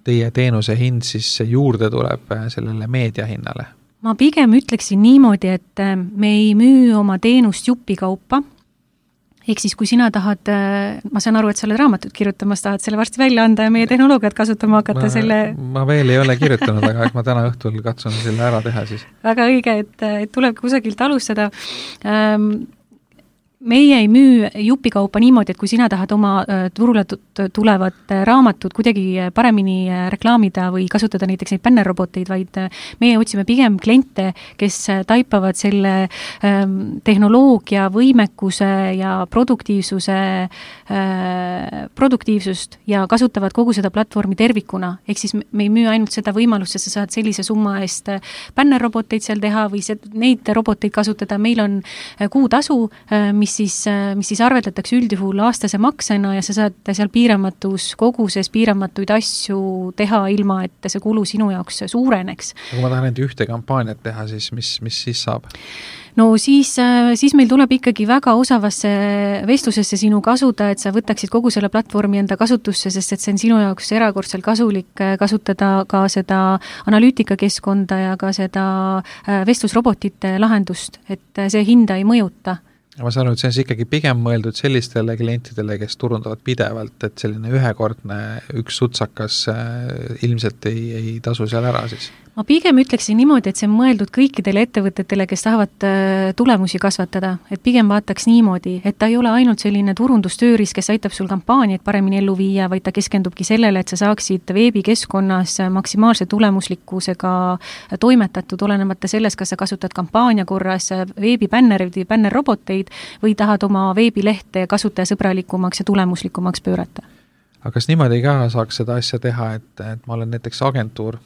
teie teenuse hind siis juurde tuleb sellele meedia hinnale? Ma pigem ütleksin niimoodi, et me ei müü oma teenust jupikaupa, ehk siis kui sina tahad, ma saan aru, et sa oled raamatut kirjutamas, tahad selle varsti välja anda ja meie tehnoloogiat kasutama hakata ma, selle... Ma veel ei ole kirjutanud, aga ma täna õhtul katsun selle ära teha siis. Väga õige, et, et tuleb kusagilt alustada. Ähm, meie ei müü jupikaupa niimoodi, et kui sina tahad oma turule tulevat raamatut kuidagi paremini reklaamida või kasutada näiteks neid bännerroboteid, vaid meie otsime pigem kliente, kes taipavad selle ähm, tehnoloogia, võimekuse ja produktiivsuse äh, produktiivsust ja kasutavad kogu seda platvormi tervikuna. Ehk siis me ei müü ainult seda võimalust, et sa saad sellise summa eest bännerroboteid seal teha või see, neid roboteid kasutada. Meil on kuutasu, mis siis, mis siis arveldatakse üldjuhul aastase maksena ja sa saad seal piiramatus koguses piiramatuid asju teha ilma, et see kulu sinu jaoks suureneks. Kui ma tahan enda ühte kampaaniat teha, siis mis, mis siis saab? No siis, siis meil tuleb ikkagi väga osavasse vestlusesse sinu kasuda, et sa võtaksid kogu selle platvormi enda kasutusse, sest et see on sinu jaoks erakordselt kasulik kasutada ka seda analüütikakeskkonda ja ka seda vestlusrobotite lahendust, et see hinda ei mõjuta. Ma saan aru, et see on ikkagi pigem mõeldud sellistele klientidele, kes turundavad pidevalt, et selline ühekordne üks sutsakas ilmselt ei, ei tasu seal ära siis. Ma pigem ütleksin niimoodi, et see on mõeldud kõikidele ettevõtetele, kes tahavad tulemusi kasvatada, et pigem vaataks niimoodi, et ta ei ole ainult selline turundustööriist, kes aitab sul kampaaniaid paremini ellu viia, vaid ta keskendubki sellele, et sa saaksid veebikeskkonnas maksimaalse tulemuslikkusega toimetatud, olenemata sellest, kas sa kasutad kampaania korras veebibännerid või bännerroboteid või tahad oma veebilehte kasutajasõbralikumaks ja tulemuslikumaks pöörata. Aga kas niimoodi ka saaks seda asja teha, et, et ma olen näiteks agentuur,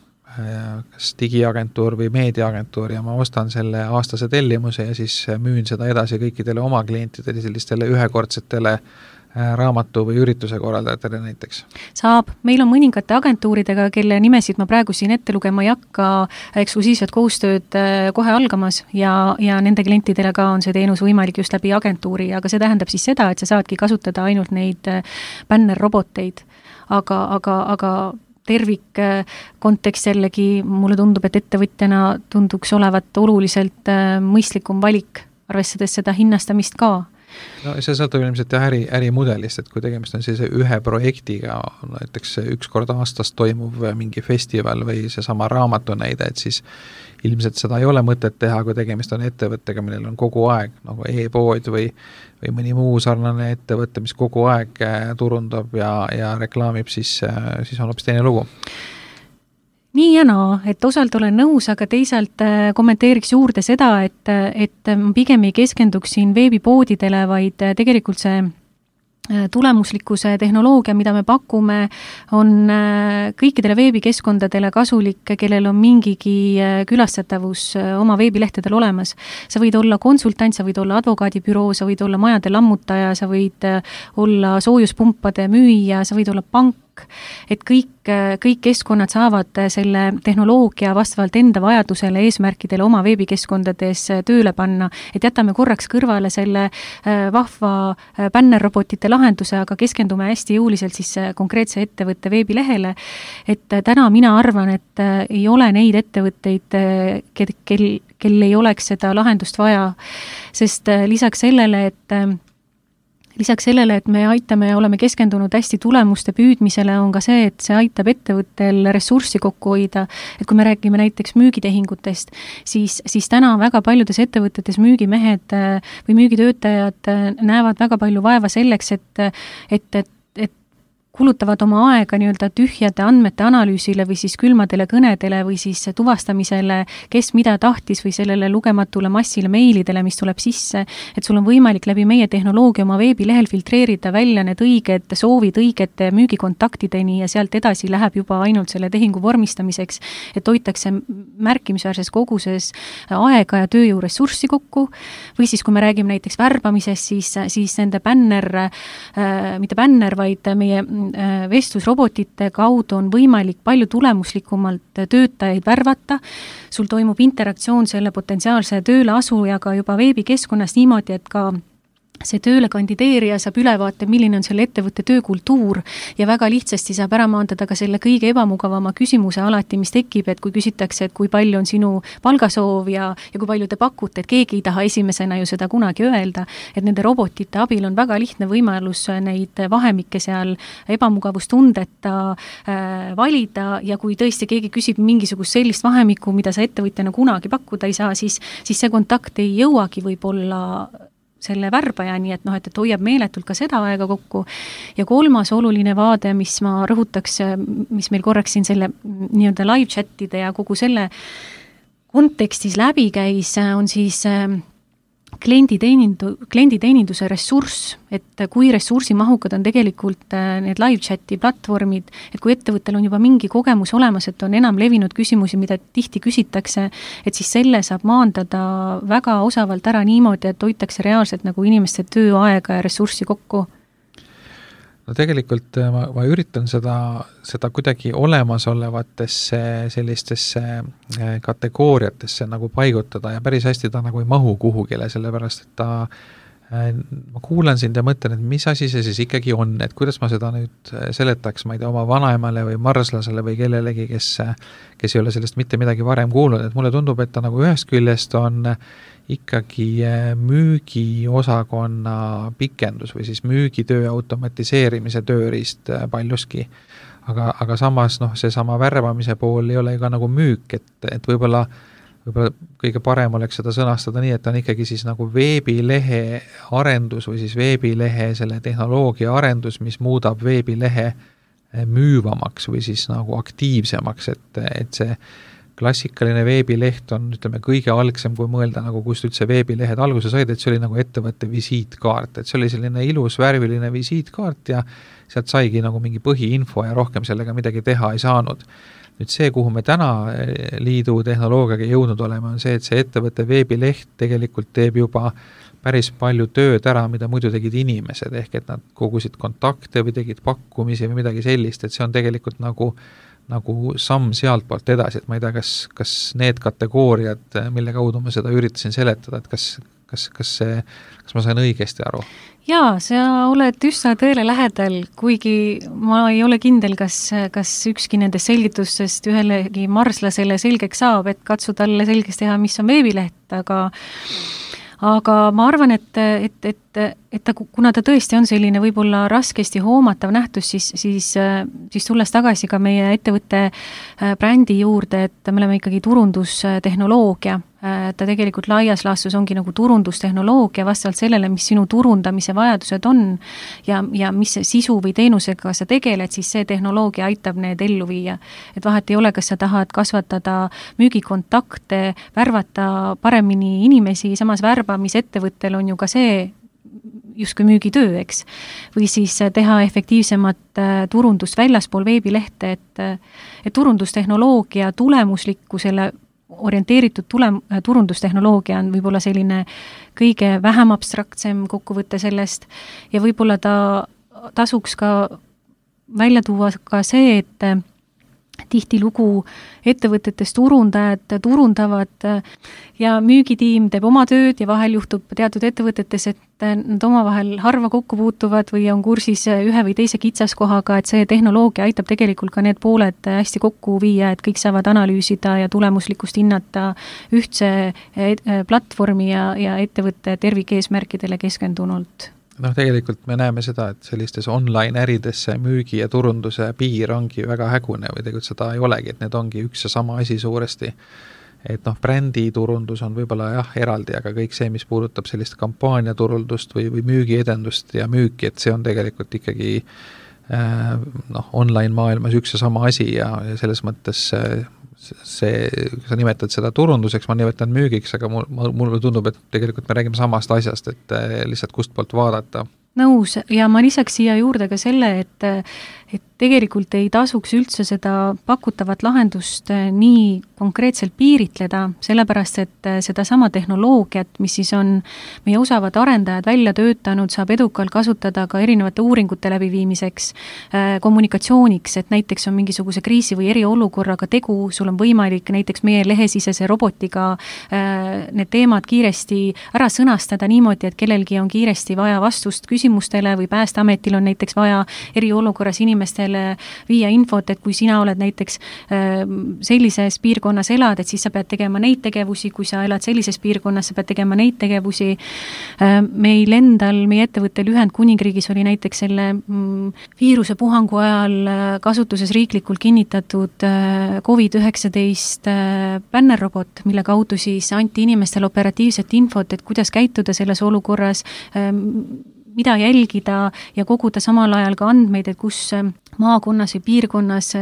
kas digiagentuur või meediaagentuur ja ma ostan selle aastase tellimuse ja siis müün seda edasi kõikidele oma klientidele, sellistele ühekordsetele raamatu või ürituse korraldajatele näiteks? Saab. Meil on mõningate agentuuridega, kelle nimesid ma praegu siin ette lugema ei hakka, eksklusiivset koostööd kohe algamas ja, ja nende klientidele ka on see teenus võimalik just läbi agentuuri, aga see tähendab siis seda, et sa saadki kasutada ainult neid bännerroboteid, aga, aga, aga tervik kontekst jällegi mulle tundub, et ettevõtjana tunduks olevat oluliselt mõistlikum valik, arvestades seda hinnastamist ka. no see sõltub ilmselt jah äri, ärimudelist, et kui tegemist on sellise ühe projektiga, näiteks üks kord aastas toimuv mingi festival või seesama raamatu näide, et siis ilmselt seda ei ole mõtet teha, kui tegemist on ettevõttega, millel on kogu aeg nagu e-pood või, või mõni muu sarnane ettevõte, mis kogu aeg turundab ja, ja reklaamib, siis, siis on hoopis teine lugu. Nii ja naa, et osalt olen nõus, aga teisalt kommenteeriks juurde seda, et, et pigem ei keskenduks siin veebipoodidele, vaid tegelikult see tulemuslikkuse tehnoloogia, mida me pakume, on kõikidele veebikeskkondadele kasulik, kellel on mingigi külastatavus oma veebilehtedel olemas. Sa võid olla konsultant, sa võid olla advokaadibüroo, sa võid olla majade lammutaja, sa võid olla soojuspumpade müüja, sa võid olla pank, et kõik, kõik keskkonnad saavad selle tehnoloogia vastavalt enda vajadusele, eesmärkidele oma veebikeskkondades tööle panna, et jätame korraks kõrvale selle vahva bännerrobotite lahenduse, aga keskendume hästi jõuliselt siis konkreetse ettevõtte veebilehele, et täna mina arvan, et ei ole neid ettevõtteid, kel, kel, kel ei oleks seda lahendust vaja, sest lisaks sellele, et Lisaks sellele, et me aitame ja oleme keskendunud hästi tulemuste püüdmisele, on ka see, et see aitab ettevõttel ressurssi kokku hoida. Et kui me räägime näiteks müügitehingutest, siis, siis täna väga paljudes ettevõtetes müügimehed või müügitöötajad näevad väga palju vaeva selleks, et, et, et, et kulutavad oma aega nii-öelda tühjade andmete analüüsile või siis külmadele kõnedele või siis tuvastamisele, kes mida tahtis või sellele lugematule massile meilidele, mis tuleb sisse, et sul on võimalik läbi meie tehnoloogia oma veebilehel filtreerida välja need õiged soovid õigete müügikontaktideni ja sealt edasi läheb juba ainult selle tehingu vormistamiseks, et hoitakse märkimisväärses koguses aega ja tööjõuressurssi kokku või siis kui me räägime näiteks värbamisest, siis, siis nende bänner, äh, mitte bänner, vaid meie vestlusrobotite kaudu on võimalik palju tulemuslikumalt töötajaid värvata. Sul toimub interaktsioon selle potentsiaalse tööle asujaga juba veebikeskkonnas niimoodi, et ka see tööle kandideerija saab ülevaate, milline on selle ettevõtte töökultuur ja väga lihtsasti saab ära maandada ka selle kõige ebamugavama küsimuse alati, mis tekib, et kui küsitakse, et kui palju on sinu palgasoov ja, ja kui palju te pakute, et keegi ei taha esimesena ju seda kunagi öelda, et nende robotite abil on väga lihtne võimalus neid vahemikke seal ebamugavustundeta äh, valida ja kui tõesti keegi küsib mingisugust sellist vahemikku, mida sa ettevõtjana kunagi pakkuda ei saa, siis, siis see kontakt ei jõuagi võib-olla selle värbaja, nii et noh, et, et hoiab meeletult ka seda aega kokku. Ja kolmas oluline vaade, mis ma rõhutaks, mis meil korraks siin selle nii-öelda live chatide ja kogu selle kontekstis läbi käis, on siis klienditeenindu, klienditeeninduse ressurss, et kui ressursimahukad on tegelikult need live chati platvormid, et kui ettevõttel on juba mingi kogemus olemas, et on enam levinud küsimusi, mida tihti küsitakse, et siis selle saab maandada väga osavalt ära niimoodi, et hoitakse reaalselt nagu inimeste tööaega ja ressurssi kokku. No tegelikult ma, ma üritan seda, seda kuidagi olemasolevatesse sellistesse kategooriatesse nagu paigutada ja päris hästi ta nagu ei mahu kuhugile, sellepärast et ta, ma kuulan sind ja mõtlen, et mis asi see siis ikkagi on, et kuidas ma seda nüüd seletaks, ma ei tea, oma vanaemale või marslasele või kellelegi, kes, kes ei ole sellest mitte midagi varem kuulnud, et mulle tundub, et ta nagu ühest küljest on ikkagi müügiosakonna pikendus või siis müügitöö automatiseerimise tööriist paljuski. Aga, aga samas noh, see sama värvamise pool ei ole ka nagu müük, et, et võib-olla, võib-olla kõige parem oleks seda sõnastada nii, et on ikkagi siis nagu veebilehe arendus või siis veebilehe selle tehnoloogia arendus, mis muudab veebilehe müüvamaks või siis nagu aktiivsemaks, et, et see klassikaline veebileht on, ütleme, kõige algsem, kui mõelda, nagu kust üldse veebilehed alguse said, et see oli nagu ettevõtte visiitkaart, et see oli selline ilus värviline visiitkaart ja sealt saigi nagu mingi põhiinfo ja rohkem sellega midagi teha ei saanud. Nüüd see, kuhu me täna liidu tehnoloogiaga jõudnud oleme, on see, et see ettevõtte veebileht tegelikult teeb juba päris palju tööd ära, mida muidu tegid inimesed, ehk et nad kogusid kontakte või tegid pakkumisi või midagi sellist, et see on tegelikult nagu nagu samm sealt poolt edasi, et ma ei tea, kas, kas need kategooriad, mille kaudu ma seda üritasin seletada, et kas, kas, kas, see, kas ma sain õigesti aru? Jaa, sa oled üsna tõele lähedal, kuigi ma ei ole kindel, kas, kas ükski nendest selgitustest ühelegi marslasele selgeks saab, et katsu talle selgeks teha, mis on veebileht, aga aga ma arvan, et, et, et, et ta, kuna ta tõesti on selline võib-olla raskesti hoomatav nähtus, siis, siis, siis tulles tagasi ka meie ettevõtte brändi juurde, et me oleme ikkagi turundustehnoloogia. Ta tegelikult laias laastus ongi nagu turundustehnoloogia vastavalt sellele, mis sinu turundamise vajadused on ja, ja mis sisu või teenusega sa tegeled, siis see tehnoloogia aitab need ellu viia. Et vahet ei ole, kas sa tahad kasvatada müügikontakte, värvata paremini inimesi, samas värbamisettevõttel on ju ka see justkui müügitöö, eks. Või siis teha efektiivsemat turundust väljaspool veebilehte, et, et turundustehnoloogia tulemuslikkusele orienteeritud tulem, turundustehnoloogia on võib-olla selline kõige vähem abstraktsem kokkuvõte sellest ja võib-olla ta tasuks ka välja tuua ka see, et tihtilugu ettevõtetes turundajad turundavad ja müügitiim teeb oma tööd ja vahel juhtub teatud ettevõtetes, et nad omavahel harva kokku puutuvad või on kursis ühe või teise kitsaskohaga, et see tehnoloogia aitab tegelikult ka need pooled hästi kokku viia, et kõik saavad analüüsida ja tulemuslikkust hinnata ühtse platvormi ja, ja ettevõtte tervikeesmärkidele keskendunult. Noh, tegelikult me näeme seda, et sellistes online äridesse müügi ja turunduse piir ongi väga hägune või tegelikult seda ei olegi, et need ongi üks ja sama asi suuresti. Et noh, brändi turundus on võib-olla jah eraldi, aga kõik see, mis puudutab sellist kampaaniaturundust või, või müügiedendust ja müüki, et see on tegelikult ikkagi äh, noh, online maailmas üks ja sama asi ja, ja selles mõttes äh, see, sa nimetad seda turunduseks, ma nimetan müügiks, aga mul, mulle tundub, et tegelikult me räägime samast asjast, et lihtsalt kust poolt vaadata. Nõus ja ma lisaks siia juurde ka selle, et, et tegelikult ei tasuks üldse seda pakutavat lahendust nii konkreetselt piiritleda, sellepärast et seda sama tehnoloogiat, mis siis on meie osavad arendajad välja töötanud, saab edukalt kasutada ka erinevate uuringute läbiviimiseks, kommunikatsiooniks, et näiteks on mingisuguse kriisi või eriolukorraga tegu, sul on võimalik näiteks meie lehesisese robotiga need teemad kiiresti ära sõnastada niimoodi, et kellelgi on kiiresti vaja vastust küsimustele või Päästeametil on näiteks vaja eriolukorras inimestele viia infot, et kui sina oled näiteks sellises piirkonnas elad, et siis sa pead tegema neid tegevusi, kui sa elad sellises piirkonnas, sa pead tegema neid tegevusi. Meil endal, meie ettevõttel Ühendkuningriigis oli näiteks selle viiruse puhangu ajal kasutuses riiklikult kinnitatud covid üheksateist bännerrobot, mille kaudu siis anti inimestele operatiivset infot, et kuidas käituda selles olukorras, mida jälgida ja koguda samal ajal ka andmeid, et kus maakonnas või piirkonnas,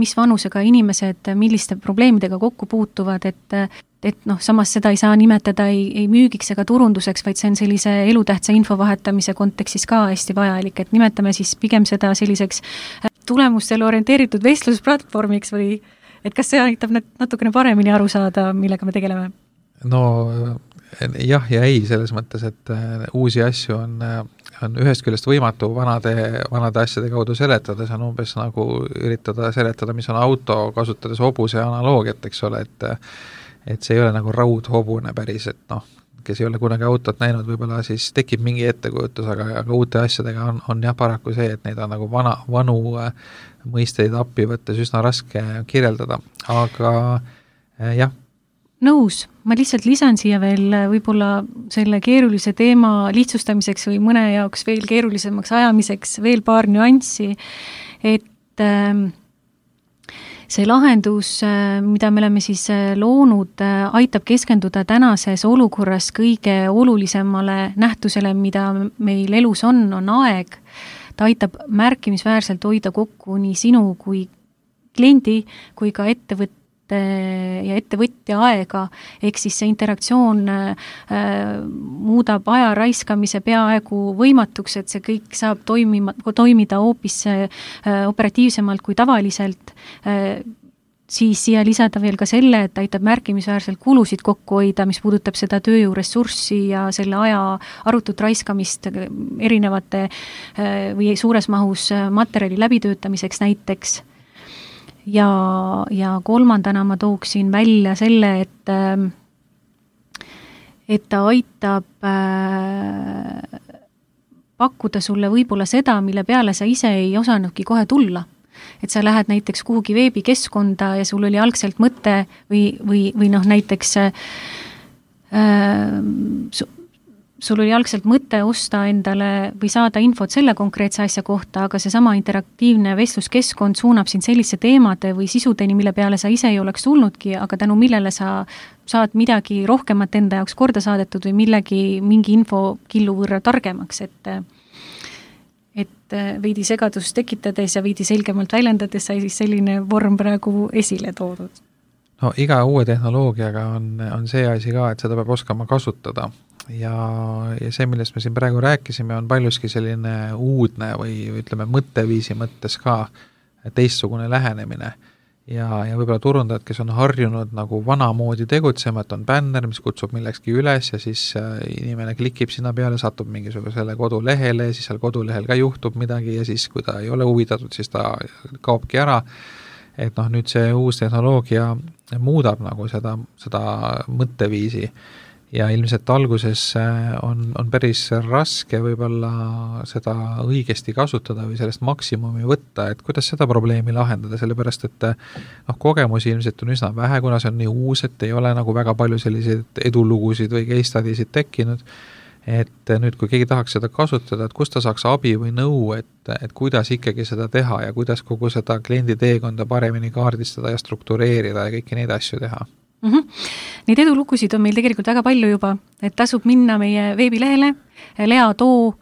mis vanusega inimesed, milliste probleemidega kokku puutuvad, et, et noh, samas seda ei saa nimetada ei, ei müügiks ega turunduseks, vaid see on sellise elutähtsa info vahetamise kontekstis ka hästi vajalik, et nimetame siis pigem seda selliseks tulemustele orienteeritud vestlusplatvormiks või et kas see aitab natukene paremini aru saada, millega me tegeleme? No jah ja ei, selles mõttes, et uusi asju on, on ühest küljest võimatu vanade, vanade asjade kaudu seletada, see on umbes nagu üritada seletada, mis on auto, kasutades hobuse analoogiat, eks ole, et, et see ei ole nagu raudhobune päris, et noh, kes ei ole kunagi autot näinud, võib-olla siis tekib mingi ettekujutus, aga, aga uute asjadega on, on jah paraku see, et neid on nagu vana, vanu mõisteid appi võttes üsna raske kirjeldada, aga jah. Nõus, ma lihtsalt lisan siia veel võib-olla selle keerulise teema lihtsustamiseks või mõne jaoks veel keerulisemaks ajamiseks veel paar nüanssi, et see lahendus, mida me oleme siis loonud, aitab keskenduda tänases olukorras kõige olulisemale nähtusele, mida meil elus on, on aeg. Ta aitab märkimisväärselt hoida kokku nii sinu kui kliendi kui ka ettevõtte ja ettevõtja aega, ehk siis see interaktsioon äh, muudab aja raiskamise peaaegu võimatuks, et see kõik saab toimima, toimida hoopis äh, operatiivsemalt kui tavaliselt, äh, siis siia lisada veel ka selle, et aitab märkimisväärselt kulusid kokku hoida, mis puudutab seda tööjõuressurssi ja selle aja arutut raiskamist erinevate äh, või suures mahus materjali läbitöötamiseks näiteks. Ja, ja kolmandana ma tooksin välja selle, et, et ta aitab äh, pakkuda sulle võib-olla seda, mille peale sa ise ei osanudki kohe tulla. Et sa lähed näiteks kuhugi veebikeskkonda ja sul oli algselt mõte või, või, või noh näiteks äh, su, sul oli algselt mõte osta endale või saada infot selle konkreetse asja kohta, aga seesama interaktiivne vestluskeskkond suunab sind sellise teemade või sisudeni, mille peale sa ise ei oleks tulnudki, aga tänu millele sa saad midagi rohkemat enda jaoks korda saadetud või millegi, mingi info killu võrra targemaks, et et veidi segadust tekitades ja veidi selgemalt väljendades sai siis selline vorm praegu esile toodud. No iga uue tehnoloogiaga on, on see asi ka, et seda peab oskama kasutada ja, ja see, millest me siin praegu rääkisime, on paljuski selline uudne või ütleme mõtteviisi mõttes ka teistsugune lähenemine ja, ja võib-olla turundajad, kes on harjunud nagu vanamoodi tegutsema, et on bänner, mis kutsub millekski üles ja siis inimene klikib sinna peale, satub mingisugusele kodulehele ja siis seal kodulehel ka juhtub midagi ja siis, kui ta ei ole huvitatud, siis ta kaobki ära. Et noh, nüüd see uus tehnoloogia muudab nagu seda, seda mõtteviisi ja ilmselt alguses on, on päris raske võib-olla seda õigesti kasutada või sellest maksimumi võtta, et kuidas seda probleemi lahendada, sellepärast et noh, kogemusi ilmselt on üsna vähe, kuna see on nii uus, et ei ole nagu väga palju selliseid edulugusid või case study'sid tekkinud, et nüüd, kui keegi tahaks seda kasutada, et kust ta saaks abi või nõu, et, et kuidas ikkagi seda teha ja kuidas kogu seda kliendi teekonda paremini kaardistada ja struktureerida ja kõiki neid asju teha. Mm-hmm. Neid edulugusid on meil tegelikult väga palju juba, et tasub minna meie veebilehele leatoo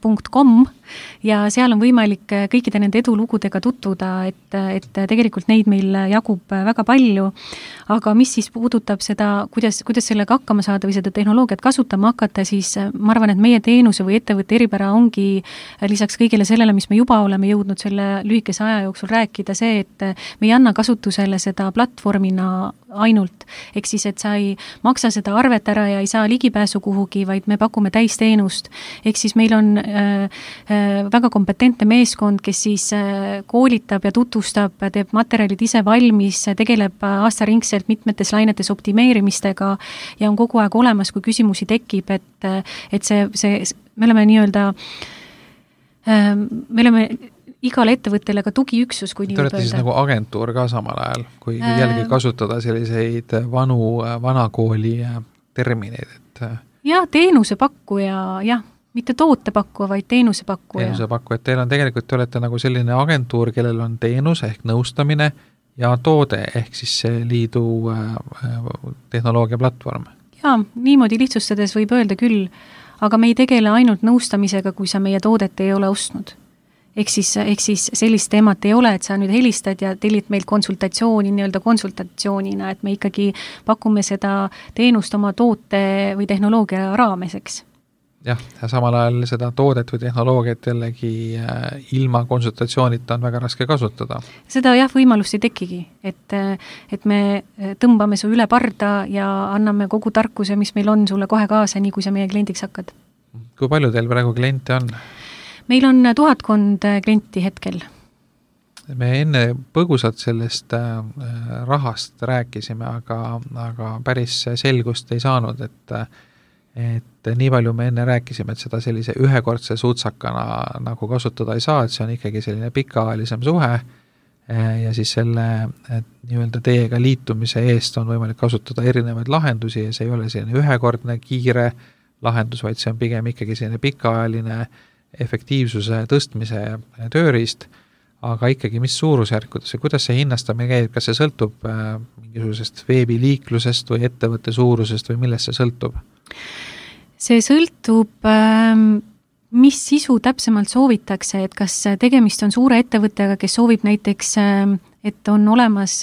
punkt com ja seal on võimalik kõikide nende edulugudega tutvuda, et, et tegelikult neid meil jagub väga palju, aga mis siis puudutab seda, kuidas, kuidas sellega hakkama saada või seda tehnoloogiat kasutama hakata, siis ma arvan, et meie teenuse või ettevõtte eripära ongi lisaks kõigele sellele, mis me juba oleme jõudnud selle lühikese aja jooksul rääkida, see, et me ei anna kasutusele seda platvormina ainult, ehk siis, et sa ei maksa seda arvet ära ja ei saa ligipääsu kuhugi, vaid me pakume täisteenust. Ehk siis meil on äh, äh, väga kompetentne meeskond, kes siis äh, koolitab ja tutvustab, teeb materjalid ise valmis, tegeleb aastaringselt mitmetes lainetes optimeerimistega ja on kogu aeg olemas, kui küsimusi tekib, et, et see, see, me oleme nii-öelda äh, me oleme igale ettevõttele ka tugiüksus, kui nii võib öelda. Te olete siis nagu agentuur ka samal ajal, kui äh, jällegi kasutada selliseid vanu, vanakooli termineid, et jah, teenusepakkuja, jah, mitte tootepakkuja, vaid teenusepakkuja. Teenusepakkuja, et teil on tegelikult, te olete nagu selline agentuur, kellel on teenus ehk nõustamine ja toode ehk siis see liidu tehnoloogia platvorm. Jaa, niimoodi lihtsustades võib öelda küll, aga me ei tegele ainult nõustamisega, kui sa meie toodet ei ole ostnud. Ehk siis, ehk siis sellist teemat ei ole, et sa nüüd helistad ja tellid meil konsultatsiooni nii-öelda konsultatsioonina, et me ikkagi pakume seda teenust oma toote või tehnoloogia raameseks. Jah, ja samal ajal seda toodet või tehnoloogiat jällegi ilma konsultatsioonita on väga raske kasutada. Seda jah, võimalust ei tekigi, et, et me tõmbame su üle parda ja anname kogu tarkuse, mis meil on sulle kohe kaasa, nii kui sa meie kliendiks hakkad. Kui palju teil praegu kliente on? Meil on tuhatkond klienti hetkel. Me enne põgusalt sellest rahast rääkisime, aga, aga päris selgust ei saanud, et, et nii palju me enne rääkisime, et seda sellise ühekordse suutsakana nagu kasutada ei saa, et see on ikkagi selline pikaajalisem suhe ja siis selle nii-öelda teiega liitumise eest on võimalik kasutada erinevaid lahendusi ja see ei ole selline ühekordne kiire lahendus, vaid see on pigem ikkagi selline pikaajaline efektiivsuse tõstmise tööriist, aga ikkagi mis suurusjärkudes ja kuidas see hinnastamine käib, kas see sõltub mingisugusest veebiliiklusest või ettevõtte suurusest või millest see sõltub? See sõltub, mis sisu täpsemalt soovitakse, et kas tegemist on suure ettevõttega, kes soovib näiteks, et on olemas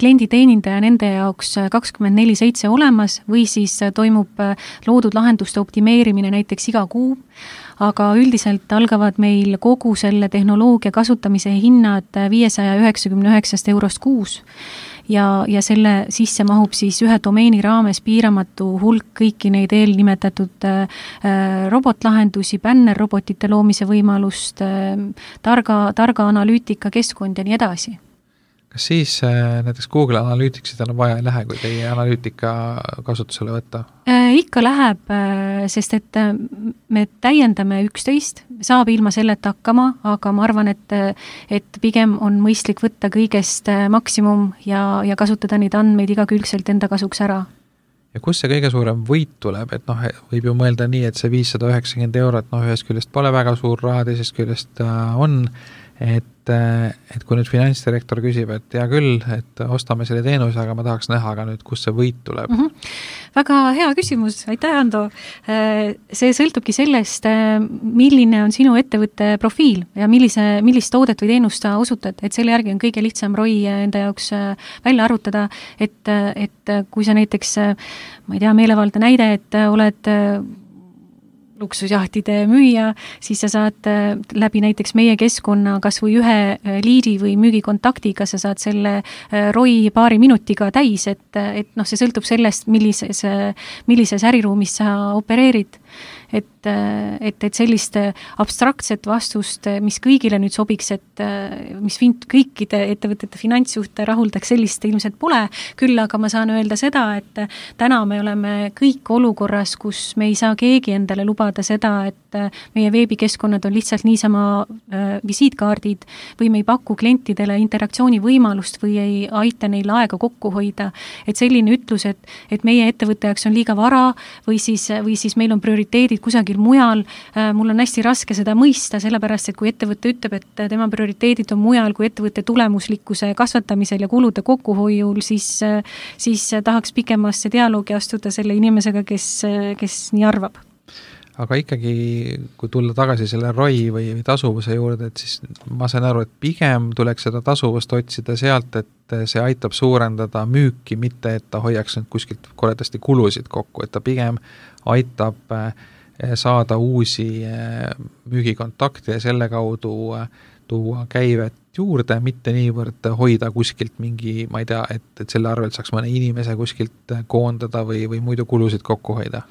klienditeenindaja nende jaoks kakskümmend neli seitse olemas või siis toimub loodud lahenduste optimeerimine näiteks iga kuu, aga üldiselt algavad meil kogu selle tehnoloogia kasutamise hinnad viiesaja üheksakümne üheksast eurost kuus ja, ja selle sisse mahub siis ühe domeeni raames piiramatu hulk kõiki neid eelnimetatud äh, robotlahendusi, bännerrobotite loomise võimalust, äh, targa, targa analüütika keskkond ja nii edasi. Kas siis äh, näiteks Google Analyticsit on vaja ei lähe, kui teie analüütika kasutusele võtta? Äh, ikka läheb, äh, sest et äh, me täiendame üksteist, saab ilma selleta hakkama, aga ma arvan, et, et pigem on mõistlik võtta kõigest äh, maksimum ja, ja kasutada neid andmeid igakülgselt enda kasuks ära. ja kus see kõige suurem võit tuleb, et noh, võib ju mõelda nii, et see viissada üheksakümmend eurot, noh, ühest küljest pole väga suur raha, teisest küljest on, et, et kui nüüd finantsdirektor küsib, et hea küll, et ostame selle teenuse, aga ma tahaks näha ka nüüd, kus see võit tuleb. Mm -hmm. Väga hea küsimus, aitäh, Ando. See sõltubki sellest, milline on sinu ettevõtte profiil ja millise, millist toodet või teenust sa osutad, et selle järgi on kõige lihtsam R O I enda jaoks välja arvutada, et, et kui sa näiteks, ma ei tea, meelevaldne näide, et oled luksusjahtide müüja, siis sa saad läbi näiteks meie keskkonna kas või ühe liidi või müügikontaktiga, sa saad selle R O I paari minutiga täis, et, et noh, see sõltub sellest, millises, millises äriruumis sa opereerid. Et, et, et sellist abstraktset vastust, mis kõigile nüüd sobiks, et mis fin- kõikide ettevõtete finantsjuhte rahuldaks, sellist ilmselt pole, küll aga ma saan öelda seda, et täna me oleme kõik olukorras, kus me ei saa keegi endale lubada seda, et meie veebikeskkonnad on lihtsalt niisama visiitkaardid või me ei paku klientidele interaktsiooni võimalust või ei aita neil aega kokku hoida. Et selline ütlus, et, et meie ettevõtte jaoks on liiga vara või siis, või siis meil on prioriteedid kusagil mujal, mul on hästi raske seda mõista, sellepärast, et kui ettevõte ütleb, et tema prioriteedid on mujal kui ettevõtte tulemuslikkuse kasvatamisel ja kulude kokkuhoiul, siis, siis tahaks pikemasse dialoogi astuda selle inimesega, kes, kes nii arvab. Aga ikkagi, kui tulla tagasi selle R O I või, või tasuvuse juurde, et siis ma saan aru, et pigem tuleks seda tasuvust otsida sealt, et see aitab suurendada müüki, mitte et ta hoiaks nüüd kuskilt koledasti kulusid kokku, et ta pigem aitab saada uusi müügikontakte ja selle kaudu tuua käivet juurde, mitte niivõrd hoida kuskilt mingi, ma ei tea, et, et selle arvelt saaks mõne inimese kuskilt koondada või, või muidu kulusid kokku hoida.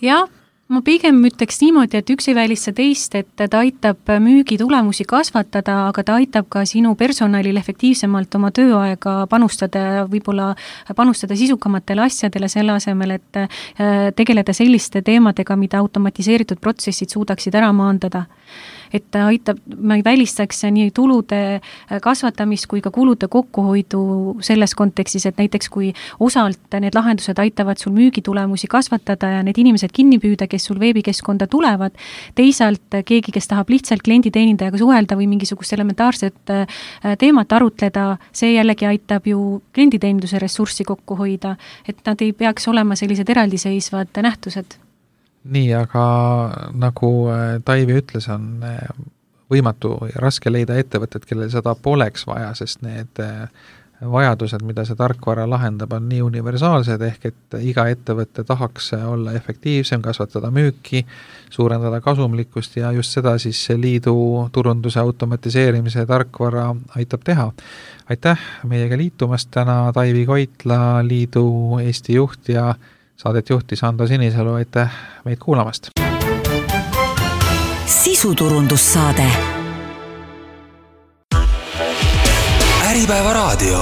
Jah, ma pigem ütleks niimoodi, et üks ei välista teist, et ta aitab müügi tulemusi kasvatada, aga ta aitab ka sinu personalil efektiivsemalt oma tööaega panustada, võib-olla panustada sisukamatele asjadele selle asemel, et tegeleda selliste teemadega, mida automatiseeritud protsessid suudaksid ära maandada. Et ta aitab, ma ei välistaks nii tulude kasvatamist kui ka kulude kokkuhoidu selles kontekstis, et näiteks kui osalt need lahendused aitavad sul müügitulemusi kasvatada ja need inimesed kinni püüda, kes sul veebikeskkonda tulevad, teisalt keegi, kes tahab lihtsalt klienditeenindajaga suhelda või mingisugust elementaarset teemat arutleda, see jällegi aitab ju klienditeeninduse ressurssi kokku hoida, et nad ei peaks olema sellised eraldiseisvad nähtused. Nii, aga nagu Taivi ütles, on võimatu ja raske leida ettevõtted, kellel seda poleks vaja, sest need vajadused, mida see tarkvara lahendab, on nii universaalsed, ehk et iga ettevõtte tahaks olla efektiivsem, kasvatada müüki, suurendada kasumlikkust ja just seda siis liidu turunduse automatiseerimise tarkvara aitab teha. Aitäh meiega liitumast täna, Taivi Koitla, liidu Eesti juht ja saadet juhtis Ando Sinisalu, aitäh meid kuulamast. Sisuturundussaade. Äripäeva raadio.